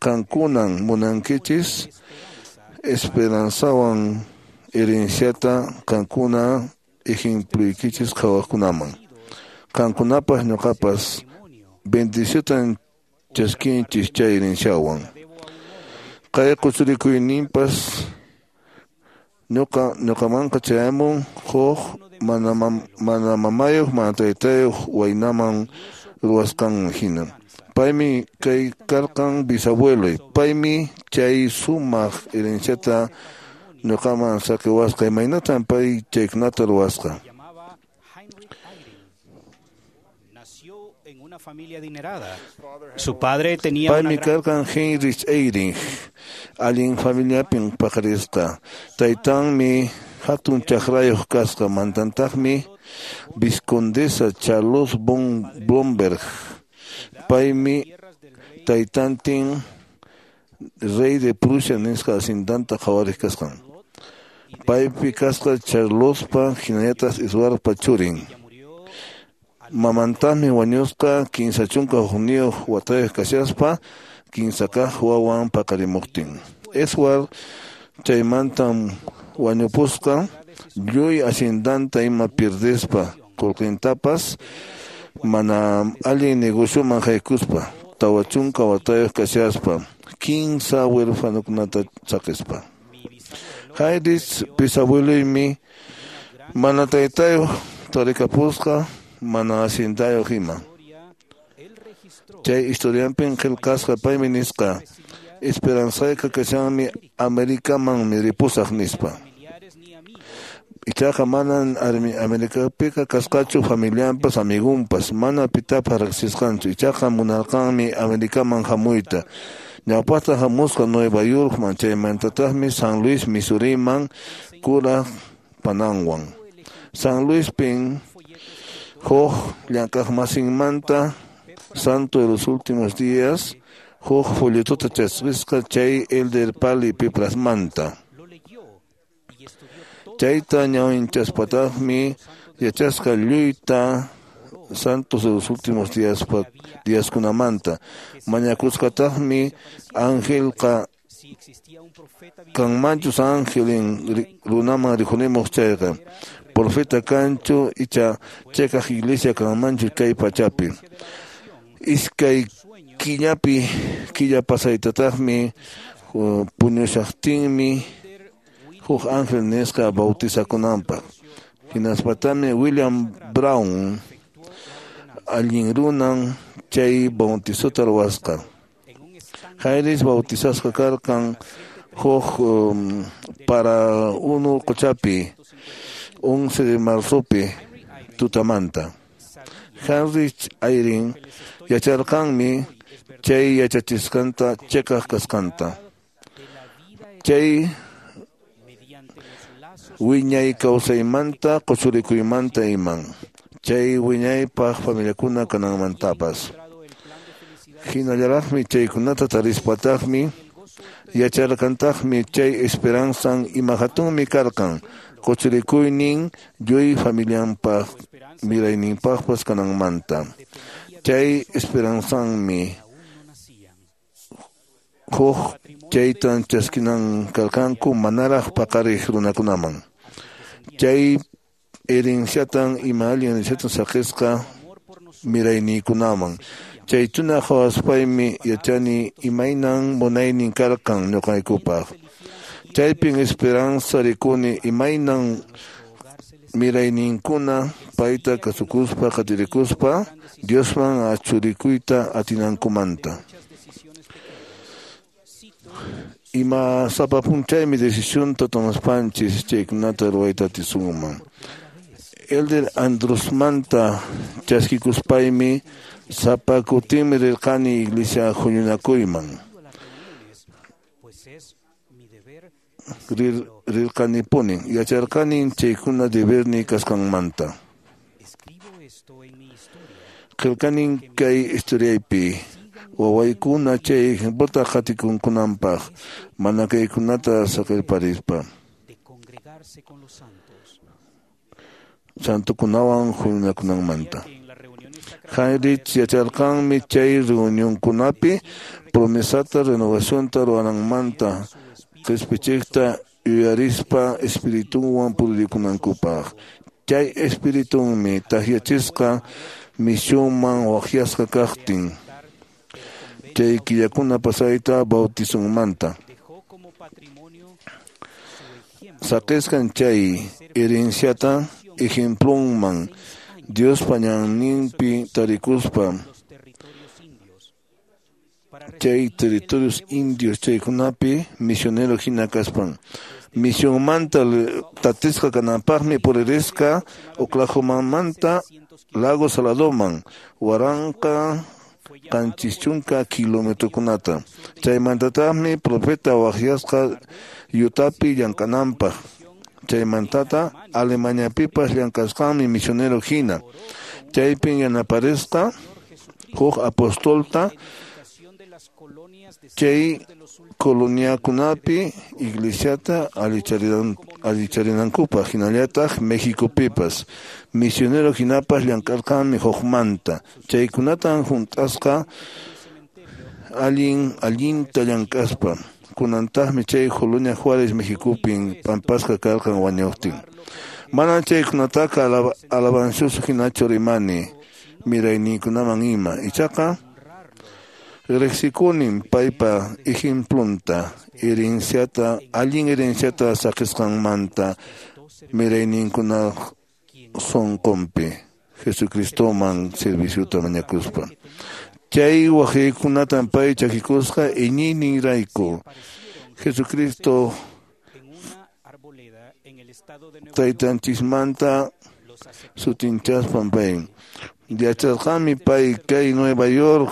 qankunan munankichis esperanzawan herenciata qankuna ejempluykichis qhawaqkunaman. Qankunapas ñuqapas bendiciotan chaskinchis chay herenciawan. Kay quchurikuyninpas ñuqamanqa chayamun huk mana mamayuq mana taytayuq waynaman ruwasqanman hina. Paymi kay karqan bisabueloy. Paymi chay sumaq herenciata ñuqaman saqiwasqa. Imaynatan pay chaykunata ruwasqa. en una familia adinerada. Su padre tenía una Paymi gran karqan Heinrich Eyring, allin familiapin paqarisqa. Taytanmi hatun chakrayuq kasqa, mantantaqmi Vizcondesa Charlotte von Blomberg. Paymi taytantin rey de Prusia nisqa hacendanta qhawariq kasqan. Paypi kasqa Charlottepa hinallataq Eduardpa churin. Mamantaqmi wañusqa 31 watayuq kashaspa kimsa kaq wawan paqarimuqtin. Edward chaymantam wañupusqa lluy haciendanta ima pierdespa qullqintapas mana allin negocioman haykuspa 40 watayuq kashaspa kimsa huerfanokunata saqispa. Heinrich bisabueluymi mana taytayuq tarikapusqa mana haciendayuq ima. Chay historianpin qillqasqa paymi nisqa esperanzayqa kashanmi Americamanmi ripusaq nispa. Ichaqa manan Americapiqa kasqachu familianpas amigunpas mana pitapas riqsisqanchu. Ichaqa munarqanmi Americaman hamuyta. Ñawpaqta hamusqa Nueva Yorkman chaymantataqmi San Luis, Missouriman kuraq pananwan. San Luispin huk llank'aqmasinmanta Santo de los Últimos Días huk folletota chaskisqa chay Elder Pali Piprasmanta. Chayta ñawinchaspataqmi yachasqa lluyta Santos de los Últimos Días díaskunamanta. Mañakusqataqmi angelqa kanmanchus angelin runaman rikhurimuq chayqa. Profeta kanchu icha chakaq iglesia kanmanchu kay pachapi. Iskay killapi killa pasaytataqmi puñushaqtinmi huk ángel nisqa bautizakunanpaq. Hinaspatami William Brown allin runan chay bautizota ruwasqa. Heinrich bautizasqa karqan huk para unu quchapi 11 de marzopi tutamanta. Heinrich Eyring yacharqanmi chay yachachisqanta chiqaq kasqanta. Chay wiñay kawsaymanta quchurikuymanta iman. Chay wiñaypaq familiakuna kananmantapas. Hinallaraqmi chaykunata tarispataqmi yacharqantaqmi chay esperanzan ima hatunmi karqan quchurikuynin lluy familianpaq mirayninpaqpas kananmanta. Chay esperanzanmi huk chaytan chaskinan karqanku manaraq paqariq runakunaman. Chay herenciatan ima allin herenciatan saqisqa mirayniykunaman. Chaytuna qhawaspaymi yachani imaynan munaynin karqan ñuqaykupaq. Chaypin esperanza rikuni imaynan mirayninkuna payta kasukuspa qatirikuspa Diosman achurikuyta atinankumanta. Ima sapa p'unchaymi decisionta tomaspanchis chaykunata ruwayta atisunman. Elder Andrusmanta chaskikuspaymi sapa kutinmi rirqani iglesia huñunakuyman. Rirqanipuni yacharqani chaykuna deberni kasqanmanta. Qillqanin kay historiaypi wawaykuna chay ejemplota qatikunkunanpaq mana kaykunata saqirparispa. Santukunawan huñunakunanmanta. Heinrich yacharqanmi chay reunionkunapi promesata renovacionta ruwananmanta qispichiqta yuyarispa espiritunwan purikunankupaq. Chay espiritunmi takyachisqa misionman waqyasqa kaqtin. Chay killakuna pasayta bautizonmanta. Saqisqan chay herenciata ejemplonman Diospa ñanninpi tarikuspa chay territorios indios chaykunapi misionero hina kaspan. Misionmanta tatisqa kananpaqmi puririsqa Oklahomamanta Lago Saladoman 1770 kilometrokunata. Chaymantataqmi profeta waqyasqa Yutapi llank'ananpaq. Chaymantata Alemaniapipas llank'asqanmi misionero hina. Chaypin yanaparisqa huk apostolta chay coloniakunapi iglesiata allicharinankupaq hinallataq Mexicopipas. Misionero hinapas llank'arqanmi hukmanta. Chaykunatan hunt'asqa allinta llank'aspa. Kunantaqmi chay Colonia Juárez Mexicopin p'ampasqa karqan wañuqtin. Mana chaykunataqa alabancioso hinachu rimani mirayninkunaman ima. Ichaqa riqsikunin paypa ejemplonta herenciata allin herenciata saqisqanmanta mirayninkuna sunqunpi Jesucristoman serviciota mañakuspa. Chay waqaykunatan pay chakikusqa iñiyninrayku. Jesucristo taytanchismanta sutinchaspan pay. Yacharqanmi pay kay Nueva York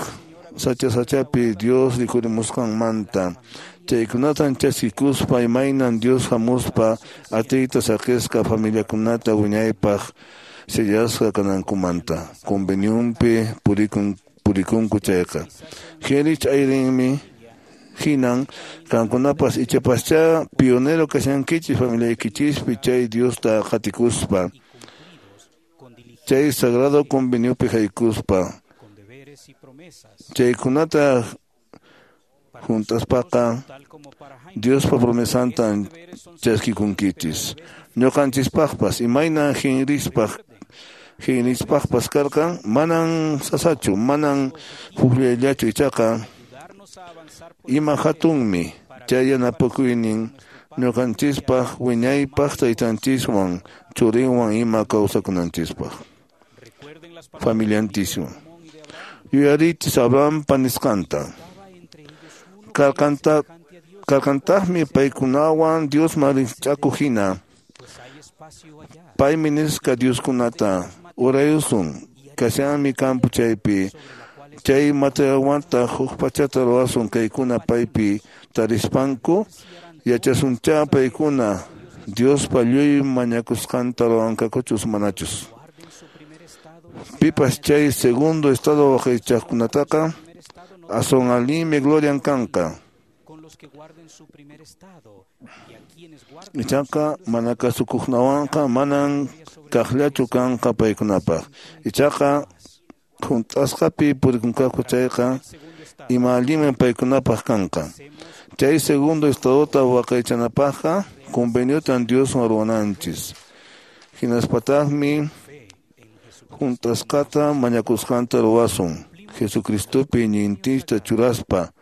sacha sachapi Dios rikurimusqanmanta. Chaykunatan chaskikuspa imaynan Dios hamuspa atiyta saqisqa familiakunata wiñaypaq sellasqa kanankumanta. Convenionpi purikunku chayqa. Heinrich Eyringmi hinan qankunapas ichapaschá pionero kashankichis familiaykichispi chay Diosta qatikuspa. Chay sagrado conveniopi haykuspa. Chaykunata juntaspaqa Diospa promesantan chaskikunkichis. Ñuqanchispaqpas imaynan Heinrichpaq Genispaqpas karqan, manan sasachu, manan hukllallachu, ichaqa ima hatunmi chay yanapakuynin ñuqanchispaq wiñaypaq taytanchiswan churinwan ima kawsakunanchispaq familiantiswan. Yuyarichis Abrahampa nisqanta. Karqantaqmi paykunawan Diosman rikch'akuq hina. Paymi nisqa Dioskunata urayusun, kashanmi campo chaypi. Chay materialwantaq huk pachata ruwasun kaykuna paypi tarispanku, yachasuncha paykuna Diospa lluy mañakusqanta ruwanqakuchus manachus. Pipas chay segundo estado waqaychaqkunataqa aswan allinmi glorian kanqa. Ichaqa mana kasukuqnawanqa manan kaqllachu kanqa paykunapaq. Ichaqa hunt'asqapi purikunqaku chayqa ima allinmi paykunapaq kanqa. Chay segundo estadota waqaychanapaqqa conveniotan Dioswan ruwananchis. Hinaspataqmi hunt'asqata mañakusqanta ruwasun. Jesucristopi iñiyninchista churaspa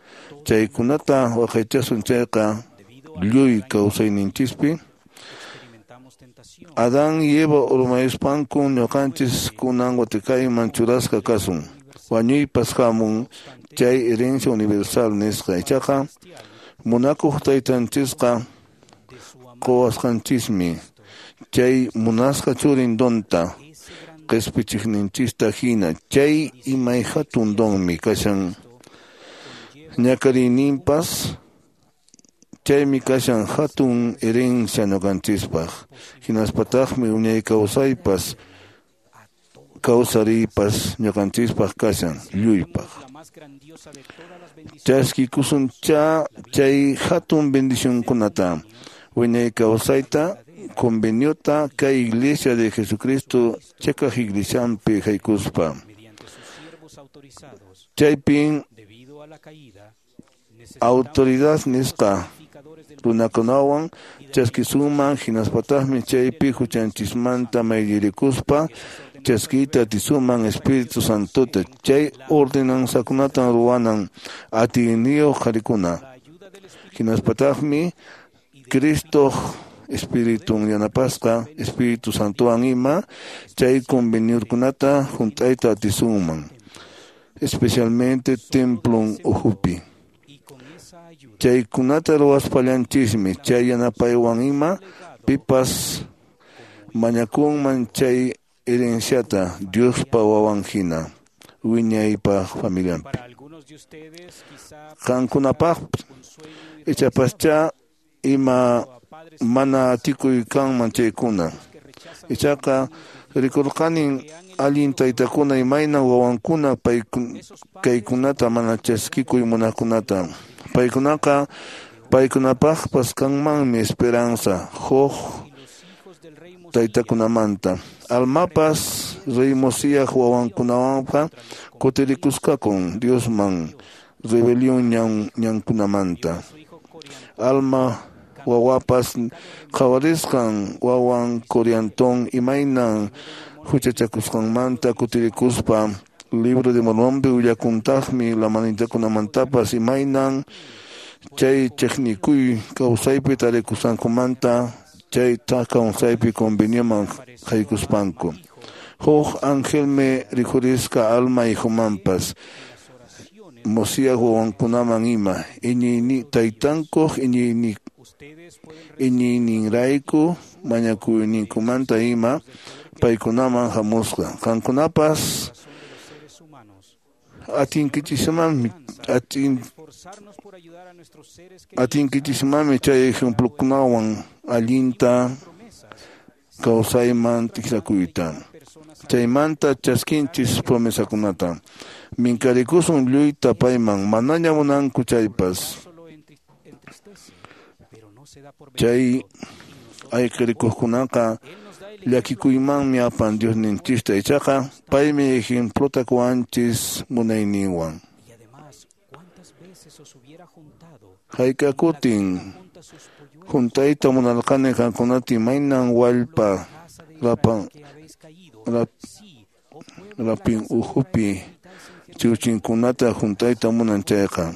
chaykunata waqaychasun chayqa lluy kawsayninchispi. Adán y Eva urmayuspanku ñuqanchis kunan watikayman churasqa kasun. Wañuypas hamun chay herencia universal nisqa. Ichaqa munakuq taytanchisqa quwasqanchismi chay munasqa churin donta qispichiqninchista hina. Chay imay hatun donmi kashan ñakariyninpas. Chaymi kashan hatun herencia ñuqanchispaq. Hinaspataqmi wiñay kawsaypas kawsariypas ñuqanchispaq kashan lluypaq. Chaskikusuncha chay hatun bendicionkunata, wiñay kawsayta, conveniota kay Iglesia de Jesucristo chakaq iglesianpi haykuspa. Chaypin autoridad nisqa runakunawan chaskisuman, hinaspataqmi chaypi huchanchismanta maylirikuspa chaskiyta atisuman Espíritu Santota. Chay ordenanzakunatan ruwanan atiyniyuq qharikuna. Hinaspataqmi Cristo Espiritun yanapasqa Espíritu Santowan ima chay conveniokunata hunt'ayta atisunman, especialmente templon ukhupi. Chaykunata ruwaspallanchismi chay yanapaywan ima pipas mañakunman chay herenciata Diospa wawan hina wiñaypaq familianpi. Qankunapaq ichapascha ima mana atikuy kanman chaykuna. Ichaqa rikurqanin allin taytakuna imayna wawankuna kaykunata mana chaskikuy munaqkunata. Paykunaqa paykunapaqpas kanmanmi esperanza huk taytakunamanta. Almapas rey Mosíah wawankunawanqa kutirikusqakun Diosman rebelión ñankunamanta. Alma wawapas qhawarisqan wawan Coriantón imaynan huchachakusqanmanta kutirikuspa. Libro de Mormónpi willakuntaqmi lamanitakunamantapas imaynan chay chiqnikuy kawsaypi tarikusqankumanta chay kawsaypi convenioman haykuspanku. Huk angelmi rikhurisqa alma hijomanpas Mosíah wawankunaman ima taytankuq iñiyninrayku mañakuyninkumanta ima paykunaman hamusqa. Qankunapas atinkichismanmi chay ejemplokunawan allinta kawsayman tikrakuyta. Chaymanta chaskinchis promesakunata. Minkarikusun lluyta payman manaña munanku chaypas. Chay ayqirikuqkunaqa llakikuymanmi apan Diosninchista, ichaqa paymi ejemplota quwanchis munayninwan. Hayk'akutin hunt'ayta munarqani qankunata imaynan wallpa Rapin uhupi chiwchinkunata huntayta munan chayqa.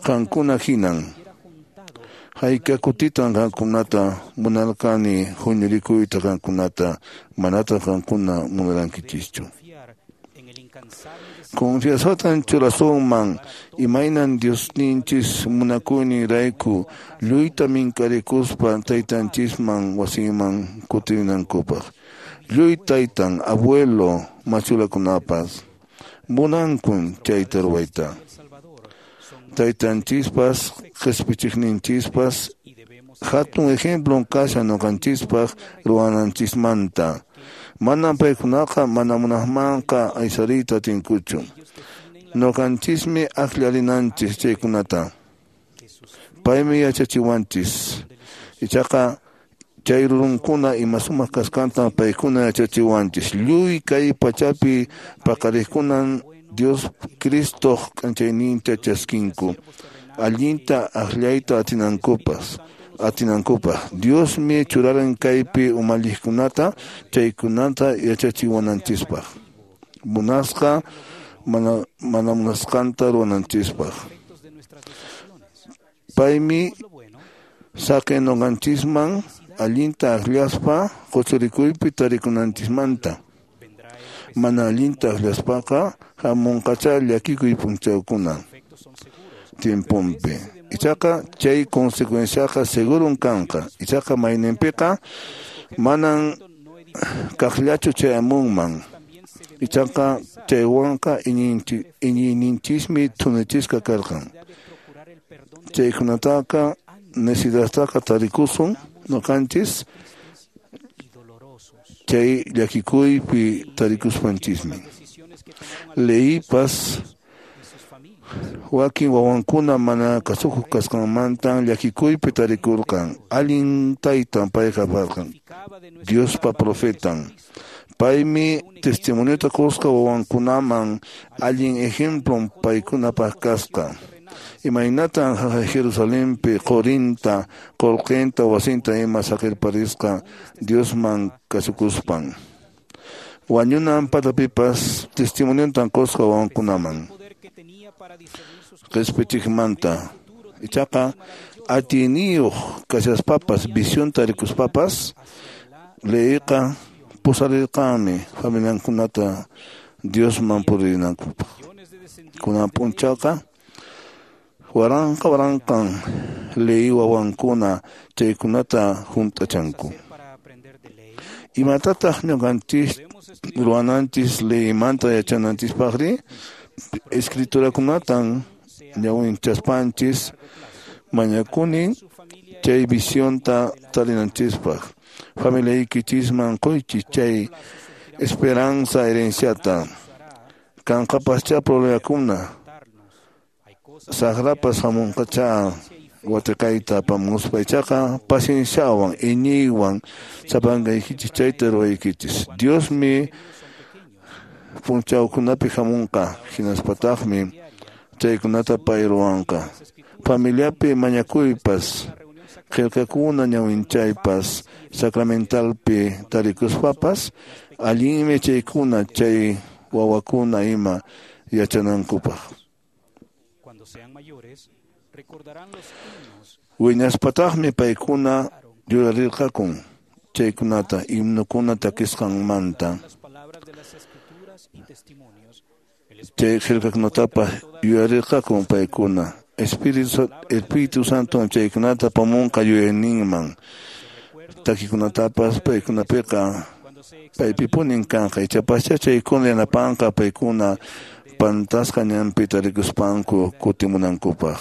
Qankuna hinan. Hayka kutitan qankunata munarqani huñurikuyta qankunata, manataq qankuna munarankichischu. Confianzatan churasunman imaynan Diosninchis munakuyninrayku lluyta minkarikuspa taytanchisman wasinman kutinankupaq. Lluy taytan, abuelo, machulakunapas munankun chayta ruwayta. Taytanchispas, qhispichiqninchispas hatun ejemplon kashan ñuqanchispaq ruwananchismanta. Manan paykunaqa mana munaqmanqa aysariyta atinkuchu. Ñuqanchismi akllarinanchis chaykunata. Paymi yachachiwanchis. Ichaqa chay rurunkuna ima sumaq kasqantan paykuna yachachiwanchis. Lluy kay pachapi paqariqkunan Dios Cristoq k'anchayninta chaskinku. Allinta akllayta atinankupaq. Diosmi churaran kaypi umalliqkunata chaykunata yachachiwananchispaq. Munasqa mana munasqanta ruwananchispaq. Paymi saqen ñuqanchisman allinta akllaspa quchurikuypi tarikunanchismanta. Mana allinta akllaspaqa hamunqachá llakikuy p'unchawkuna tiemponpi. Ichaqa chay consecuenciaqa segurun kanqa. Ichaqa mayninpiqa manan kaqllachu chayamunman. Ichaqa chaywanqa iñiyninchismi thunichisqa karqan. Chaykunataqa necesidadtaqa tarikusun ñuqanchis chay llakikuypi tarikuspanchismi. Leyipas wakin wawankuna mana kasukuq kasqanmantan llakikuypi tarikurqan. Allin taytan payqa karqan, Diospa profetan. Paymi testimoniota qusqa wawankunaman allin ejemplon paykunapaq kasqa. Imaynatan Jerusalenpi qurinta, qullqinta, wasinta ima saqirparisqa Diosman kasukuspan. Wañunan patapipas testimoniontan qusqa wawankunaman. Qhispichiqmanta. Ichaqa atiyniyuq kashaspapas, visionta rikuspapas, Lehiqa pusarirqanmi familiankunata Diosman purinankupaq. Kunan p'unchawqa waranqa waranqan Lehi wawankuna chaykunata hunt'achanku. Imatataq ñuqanchis ruwananchis Lehimanta yachananchispaqri? Escriturakunatan ñawinchaspanchis mañakuni chay visionta tarinanchispaq. Familiaykichisman quychis chay esperanza herenciata. Kanqapascha problemakuna, saqrapas hamunqacha watiqayta apamuspa, ichaqa pacienciawan, iñiywan sapankaykichis chayta ruwaykichis. Diosmi p'unchawkunapi hamunqa, hinaspataqmi chaykunata pay ruwanqa. Familiapi mañakuypas, qillqakuna ñawinchaypas, sacramentalpi tarikuspapas, allinmi chaykuna chay wawakuna ima yachanankupaq. Wiñaspataqmi paykuna yurarirqakun chaykunata himnukuna takisqanmanta. Chay qillqakunatapas yuyarirqakun paykuna. Espíritu Santo chaykunata apamunqa yuyayninman. Takikunatapas paykunapiqa paypipunin kanqa. Ichapascha chaykuna yanapanqa paykuna pantasqa ñanpi tarikuspanku kutimunankupaq.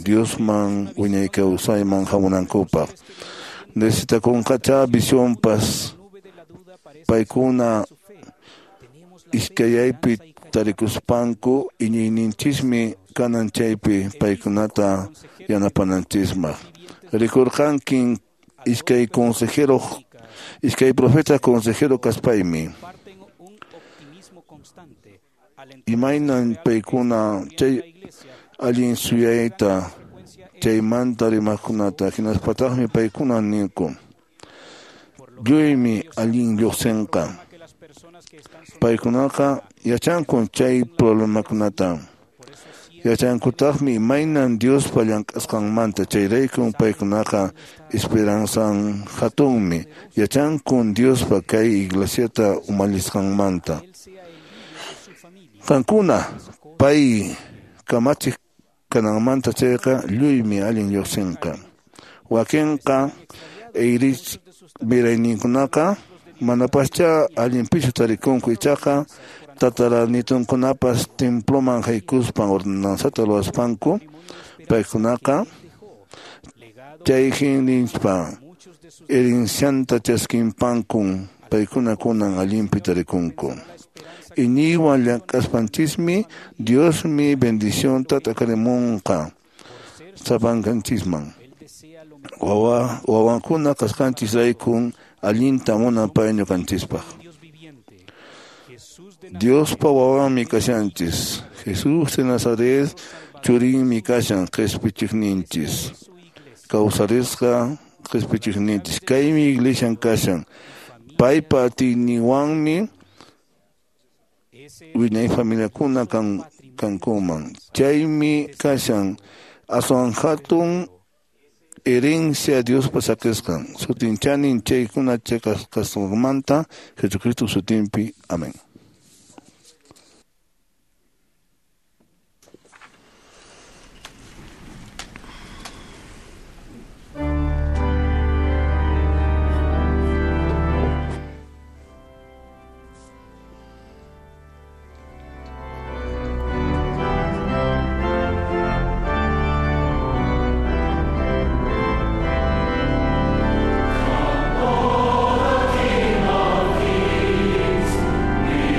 Diosman wiñay kawsayman hamunankupaq. Necesitakunqacha visionpas paykuna iskayaypi tarikuspanku iñiyninchismi kanan chaypi paykunata yanapananchismaq. Rikurqankin iskay consejero, iskay profeta consejero kaspaymi. Imaynan paykuna chay allin suyayta chaymanta rimaqkunata hinaspataqmi paykuna ninku. lluymi allin lluqsinqa. Paykunaqa yachankun chay problemakunata. Yachankutaqmi imaynan Diospa llank'asqanmanta, chayraykun paykunaqa esperanzan hatunmi. Yachankun Diospa kay iglesiata umallisqanmanta. Qankuna pay kamachiq kananmanta chayqa lluymi allin lluqsinqa. Wakinqa Eirich mirayninkunaqa manapascha allinpichu tarikunku, ichaqa tataranitunkunapas temploman haykuspan ordenanzata ruwaspanku paykunaqa chayhin nispa herencianta chaskinpankun paykuna kunan allinpi tarikunku. Iñiywan llank'aspanchismi Diosmi bendicionta t'akarimunqa sapankanchisman. Wawankuna kasqanchisraykun allinta munan pay ñuqanchispaq. Diospa wawanmi kashanchis. Jesús de Nazaret churinmi kashan qhispichiqninchis. Kawsarisqa qhispichiqninchis. Kaymi iglesian kashan. Paypa atiyninwanmi wiñay familiakuna kankuman. Chaymi kashan aswan hatun herencia Diospa saqisqan. Sutinchanin chaykuna chiqasqanmanta Jesucristo sutinpi. Amén. King of Kings, we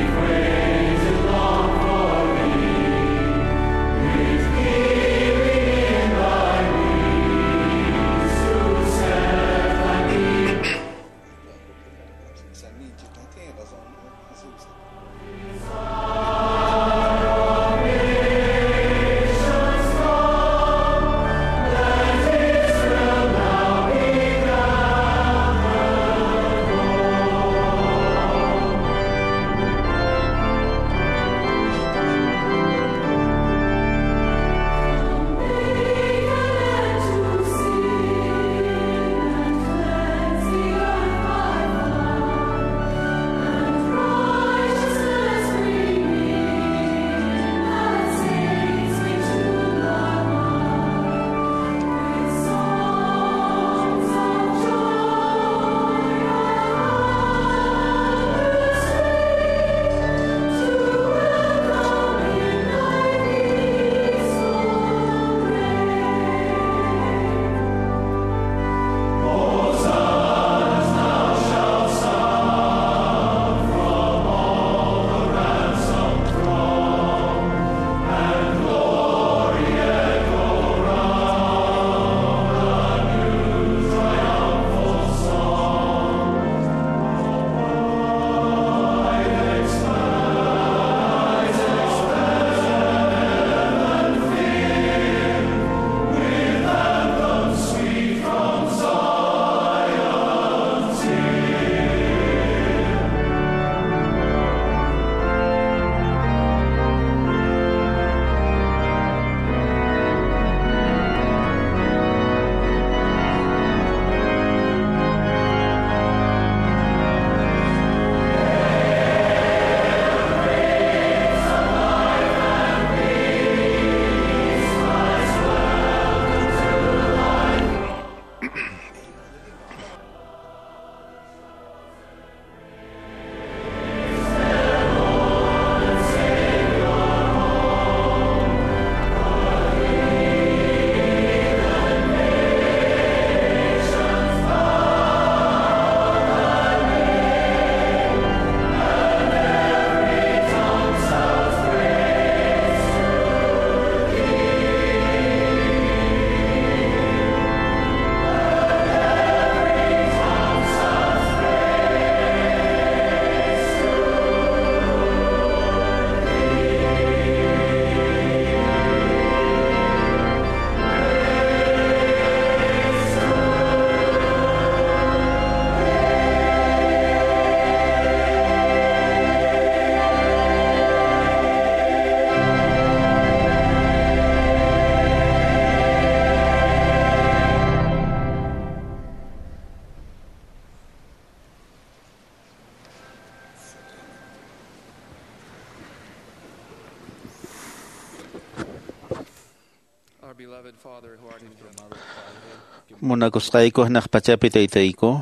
Munakusqayku hanaq pachapi taytayku,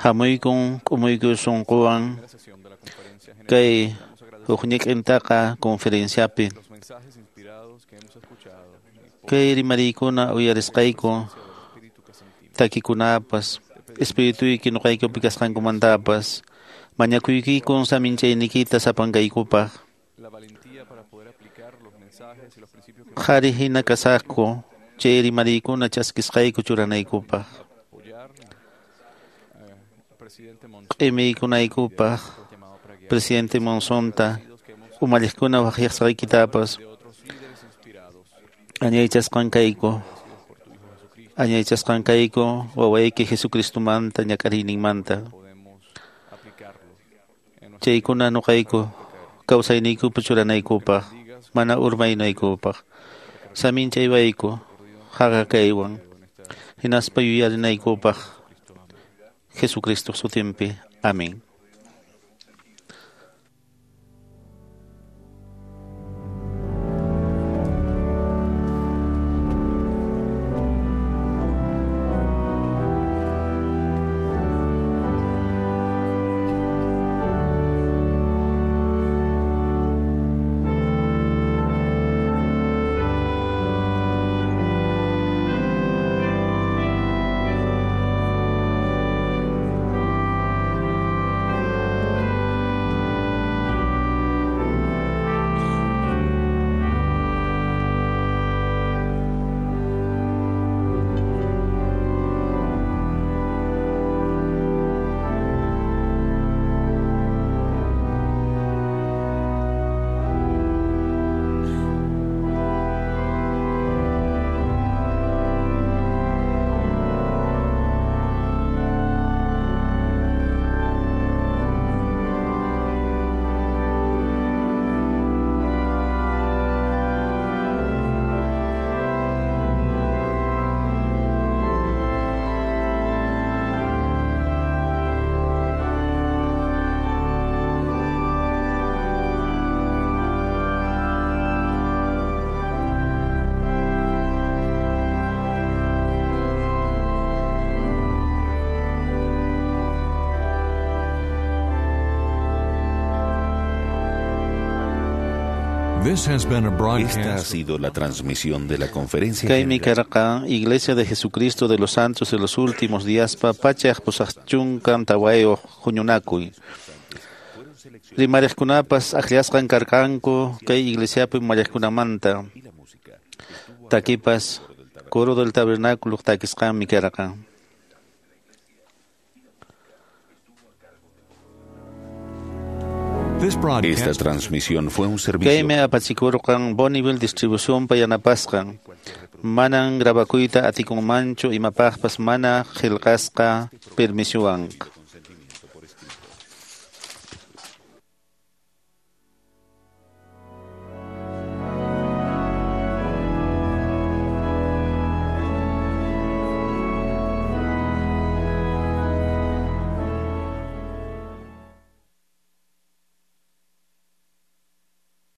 hamuykun k'umuyku sunquwan kay hukñiq'intaqa conferenciapi. Kay rimariykuna uyarisqayku takikunapas espirituyki nuqaykupi kasqankumantapas mañakuykikun saminchayniykita sapankaykupaq. Qhari hina kasaqku chay rimariykuna chaskisqayku churanaykupaq. Q'imiykunaykupaq presidente Monsonta umalliqkuna waqyasqaykitapas añaychasqan kayku. Añaychasqan kayku wawayki Jesucristomanta ñak'ariyninmanta. Chaykuna nuqayku kawsayniykupi churanaykupaq mana urmaynaykupaq. Saminchaywayku haqa kaywan hinaspa yuyarinaykupaq Jesucristo sutinpi. Amén. Esta ha sido la transmisión de la conferencia Kaymi karqa Iglesia de Jesucristo de los Santos de los Últimos Días pa pachaq pusaqchunkan tawayuq huñunakuy. Rimariqkunapas akllasqan karqanku kay iglesiapi umalliqkunamanta. Takipas coro del tabernáculo takisqanmi karqa. Esta transmisión fue un servicio. Kaymi apachikurqan Bonneville Distribución pa yanapasqan. Manan grabakuyta atikunmanchu imapaqpas mana qillqasqa permisuwanqa.